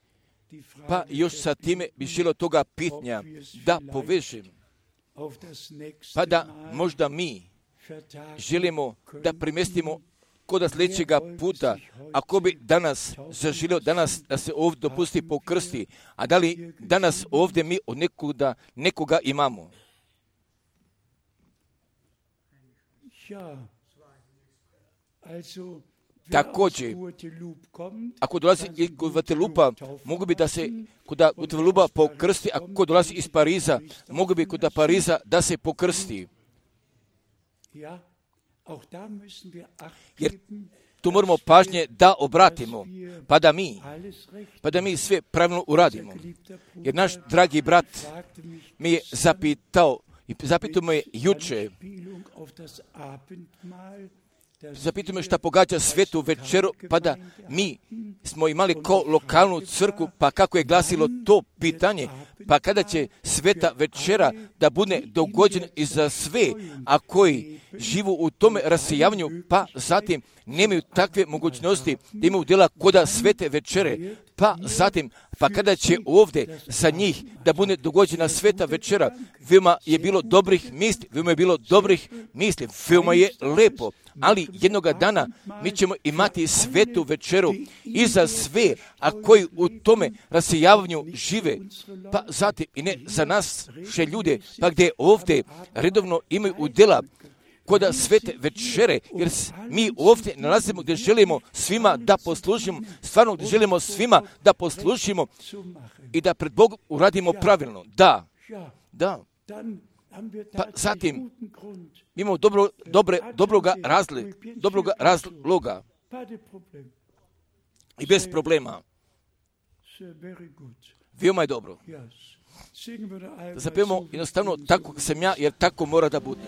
pa još sa time bih želio toga pitanja da povežem, pa da možda mi želimo da primestimo kod sljedećega puta, ako bi danas zaželio danas da se ovdje dopusti po krsti, a da li danas ovdje mi od nekoga imamo? Također, ako dolazi iz Guadeloupa, mogu bi da se kod Guadeloupa po krsti, ako dolazi iz Pariza, mogu bi kod Pariza da se pokrsti. Jer tu moramo pažnje da obratimo, pa da mi sve pravilno uradimo. Jer naš dragi brat mi je zapitao me juče, zapitao me šta pogađa svetu večeru, pa da mi smo imali ko lokalnu crkvu, pa kako je glasilo to pitanje, pa kada će sveta večera da bude dogođena i za sve, a koji živu u tome rasijavanju, pa zatim nemaju takve mogućnosti da imaju djela koda svete večere, pa zatim, pa kada će ovdje za njih da bude dogođena sveta večera, veoma je bilo dobrih misli, veoma je lepo, ali jednoga dana mi ćemo imati svetu večeru i za sve, a koji u tome rasijavanju žive, pa zatim i ne za nas še ljude, pa gdje ovdje redovno imaju udjela koda svete večere, jer mi ovdje nalazimo gdje želimo svima da poslužimo, stvarno gdje želimo svima da poslužimo i da pred Bogom uradimo pravilno. Da. Pa zatim imamo dobroga razloga i bez problema. Veoma je dobro. Da zapevamo jednostavno tako sam ja, jer tako mora da bude.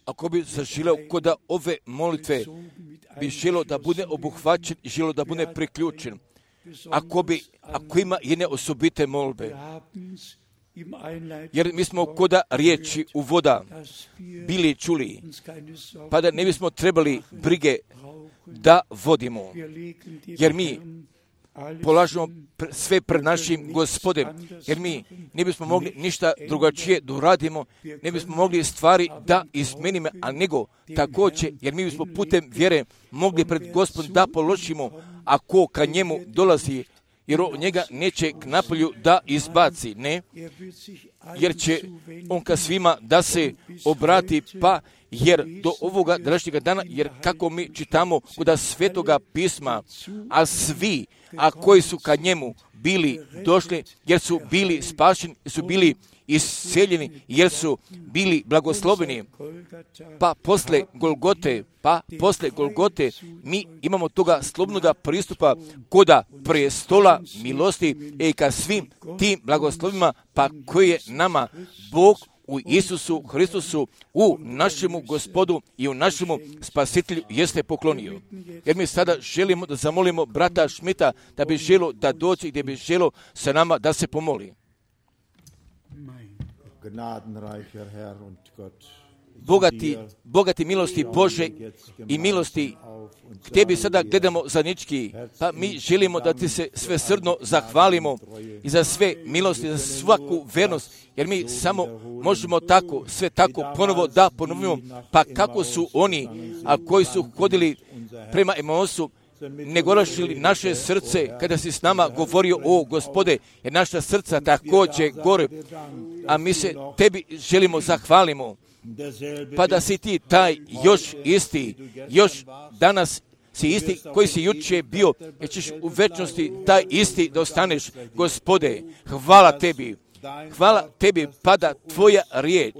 ako bi zaželio kod ove molitve, bi želio da bude obuhvaćen i želio da bude priključen. Ako ima jedne osobite molbe, jer mi smo kod riječi uvoda bili čuli, pa da ne bismo trebali brige da vodimo, jer mi polažemo sve pred našim Gospodem, jer mi ne bismo mogli ništa drugačije da uradimo, ne bismo mogli stvari da izmenimo, a nego također, jer mi bismo putem vjere mogli pred Gospodom da položimo, ako ka njemu dolazi, jer on njega neće k napolju da izbaci, ne, jer će on ka svima da se obrati, pa jer do ovoga današnjega dana, jer kako mi čitamo kod Svetoga pisma, a svi, a koji su ka njemu bili došli, jer su bili spašeni, su bili isceljeni, jer su bili blagosloveni, pa posle Golgote mi imamo toga slobodnoga pristupa koda prestola milosti i ka svim tim blagoslovima, pa koji je nama Bog u Isusu Hristusu, u našemu Gospodu i u našemu Spasitelju jeste poklonio. Jer mi sada želimo da zamolimo brata Šmita da bi želio da dođe i gdje bi želio sa nama da se pomoli. Bogati milosti Bože i milosti k tebi sada gledamo zajednički, pa mi želimo da ti se svesrdno zahvalimo i za sve milosti, za svaku vernost, jer mi samo možemo tako, sve tako ponovo da ponovimo, pa kako su oni, a koji su hodili prema Emausu, ne gorašili naše srce kada si s nama govorio o Gospode, jer naša srca također gore, a mi se tebi želimo zahvalimo, pa da si ti taj još isti, još danas si isti koji si jučer bio, jer ćeš u večnosti taj isti da ostaneš. Gospode, hvala tebi, pa da tvoja riječ,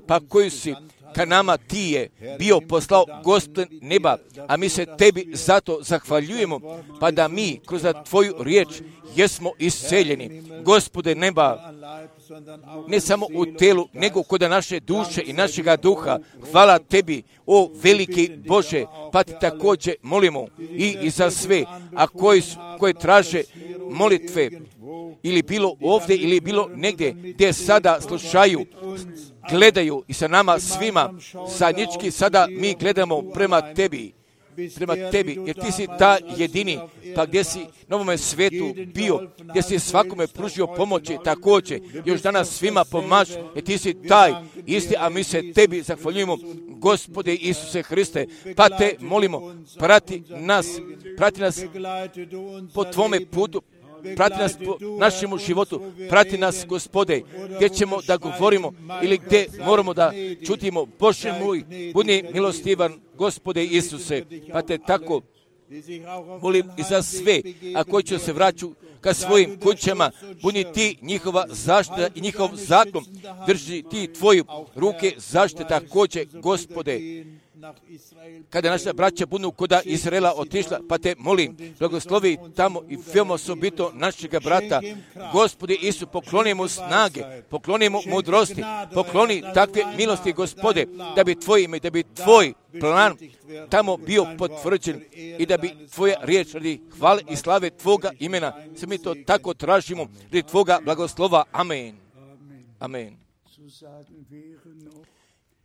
pa koju si ka nama ti je bio poslao Gospod neba, a mi se tebi zato zahvaljujemo, pa da mi kroz tvoju riječ jesmo isceljeni. Gospode neba, ne samo u telu, nego kod naše duše i našega duha. Hvala tebi, o veliki Bože, pa ti također molimo i za sve, a koji traže molitve, ili bilo ovdje, ili bilo negdje, gdje sada slušaju, gledaju i sa nama svima, zajednički sada mi gledamo prema tebi, jer ti si ta jedini, pa gdje si na ovome svetu bio, gdje si svakome pružio pomoći, također, još danas svima pomaži, jer ti si taj isti, a mi se tebi zahvaljujemo, Gospode Isuse Hriste, pa te molimo, prati nas po tvome putu, prati nas po našemu životu, prati nas, Gospode, gdje ćemo da govorimo ili gdje moramo da čutimo. Bože moj, budi milostivan, Gospode Isuse, pa te tako molim i za sve, a koji će se vraćati ka svojim kućama, budi ti njihova zaštita i njihov zakon, drži ti tvoju ruke zaštite također, Gospode. Kada naša braća budu kod Izraela otišla, pa te molim, blagoslovi tamo i veoma osobito našega brata. Gospode Isu, pokloni mu snage, pokloni mu mudrosti, pokloni takve milosti, Gospode, da bi tvoje ime, da bi tvoj plan tamo bio potvrđen i da bi tvoja riječ radi hvale i slave tvoga imena. Se mi to tako tražimo radi tvoga blagoslova. Amen. Amen.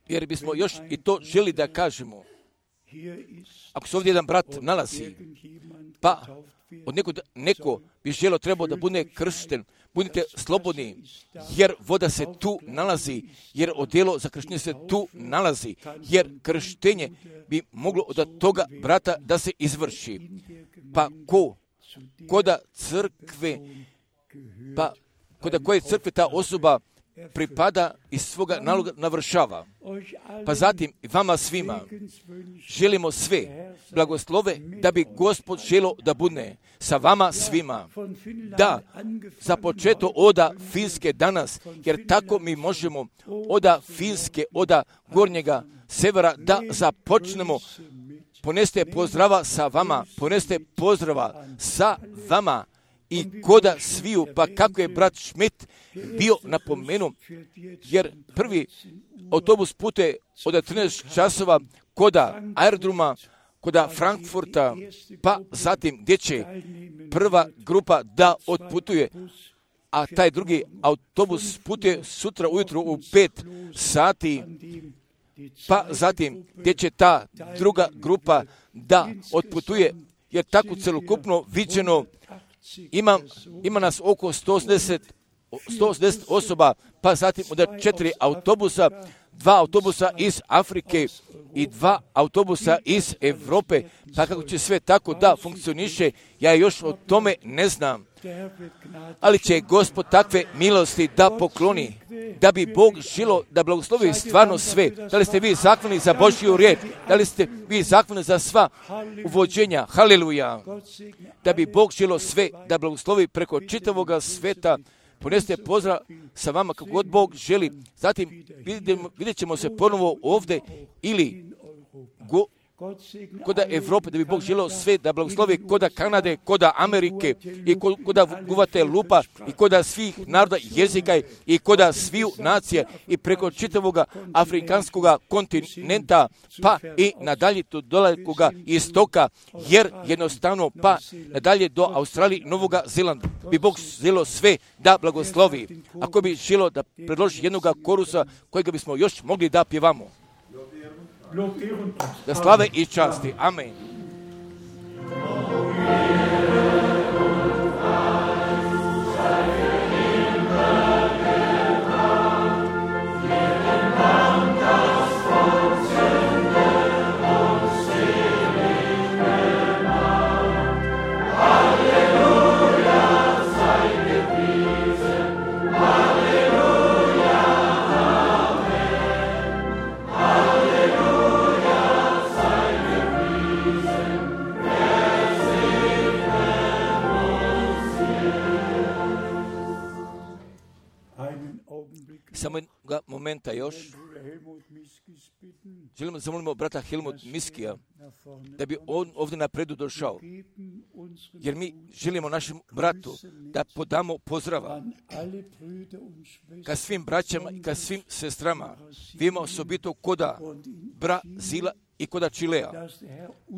Jer bismo još i to želi da kažemo. Ako se ovdje jedan brat nalazi, pa od neko bi želio trebao da bude kršten, budite slobodni, jer voda se tu nalazi, jer odjelo za krštenje se tu nalazi, jer krštenje bi moglo od toga brata da se izvrši. Pa koda crkve, pa koda koje crkve ta osoba pripada i svoga naloga navršava. Pa zatim vama svima želimo sve blagoslove da bi Gospod želio da bude sa vama svima. Da, za početo oda Finske danas, jer tako mi možemo oda Finske, oda gornjega severa da započnemo. Poneste pozdrava sa vama, poneste pozdrava sa vama i koda sviju, pa kako je brat Schmidt bio napomenuo, jer prvi autobus putuje od 13 časova koda aerodroma, koda Frankfurta, pa zatim gdje će prva grupa da otputuje, a taj drugi autobus putuje sutra ujutro u 5 sati, pa zatim gdje će ta druga grupa da otputuje, jer tako celokupno viđeno ima nas oko 180 osoba, pa zatim od 4 autobusa, 2 autobusa iz Afrike i 2 autobusa iz Europe, pa kako će sve tako da funkcioniše, ja još o tome ne znam. Ali će Gospod takve milosti da pokloni, da bi Bog želo da blagoslovi stvarno sve. Da li ste vi zahvalni za Božju riječ? Da li ste vi zahvalni za sva uvođenja? Haleluja! Da bi Bog želo sve da blagoslovi preko čitavoga sveta. Ponesite pozdrav sa vama kako god Bog želi. Zatim vidjet ćemo se ponovo ovdje ili koda Evrope, da bi Bog želeo sve da blagoslovi koda Kanade, koda Amerike i koda Guatelupa i koda svih naroda jezika i koda sviju nacija i preko čitavoga afrikanskog kontinenta, pa i nadalje do dalekoga istoka, jer jednostavno pa nadalje do Australije i Novoga Zelanda bi Bog želeo sve da blagoslovi. Ako bi želeo da predloži jednog korusa kojega bismo još mogli da pjevamo. Da slave i časti. Amen. Samo jednoga momenta još. Želimo zamolimo brata Helmut Miskija da bi on ovdje napredu došao. Jer mi želimo našem bratu da podamo pozdrava ka svim braćama i ka svim sestrama. Vidimo osobito koda Brazila i koda Čilea.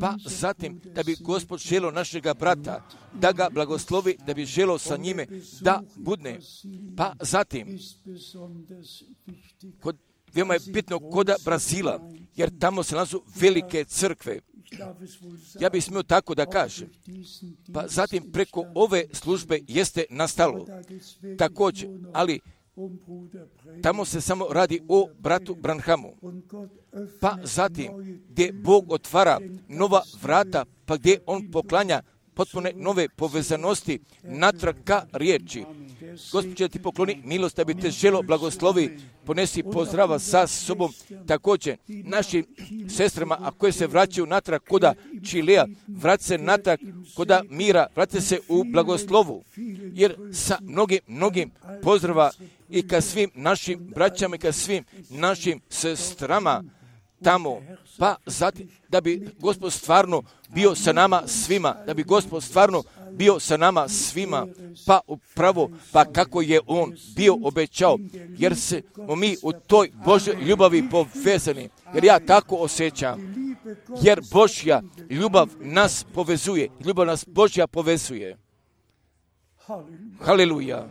Pa zatim da bi Gospod želio našega brata, da ga blagoslovi, da bi želio sa njime da budne. Pa zatim, veoma je bitno koda Brazila, jer tamo se nalazu velike crkve. Ja bih smio tako da kažem. Pa zatim preko ove službe jeste nastalo također, ali tamo se samo radi o bratu Branhamu. Pa zatim gdje Bog otvara nova vrata, pa gdje on poklanja potpune nove povezanosti natrag ka riječi. Gospod će ti pokloni milost da bi te želo blagoslovi, ponesi pozdrava sa sobom također našim sestrama, a koje se vraćaju natrag koda Čilea, vrati se natrag koda Mira, vrati se u blagoslovu, jer sa mnogim pozdrava i ka svim našim braćama i ka svim našim sestrama tamo, pa zatim da bi Gospod stvarno bio sa nama svima, da bi Gospod stvarno bio sa nama svima, pa upravo, pa kako je on bio obećao, jer smo mi u toj Božoj ljubavi povezani, jer ja tako osjećam, jer Božja ljubav nas povezuje, ljubav nas Božja povezuje. Haleluja.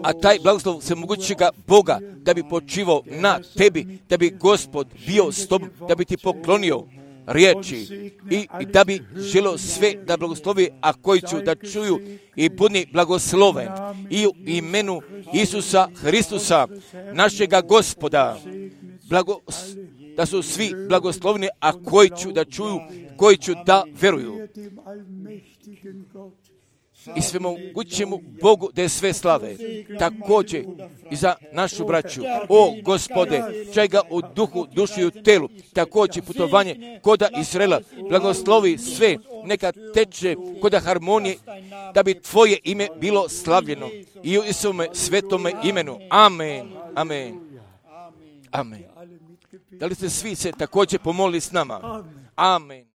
A taj blagoslov svemogućega Boga da bi počivao na tebi, da bi Gospod bio s tobom, da bi ti poklonio riječi i da bi želio sve da blagoslovi, a koji ću da čuju i budni blagosloven i u imenu Isusa Hristusa, našega Gospoda, da su svi blagoslovni, a koji ću da čuju, koji ću da veruju. I svemogućemu Bogu da je sve slave. Također i za našu braću. O Gospode, čaj ga u duhu, duši i u telu. Također putovanje koda Izraela. Blagoslovi sve, neka teče koda harmonije, da bi tvoje ime bilo slavljeno. I u Isuvome svetome imenu. Amen. Amen. Amen. Da li ste svi se također pomolili s nama? Amen.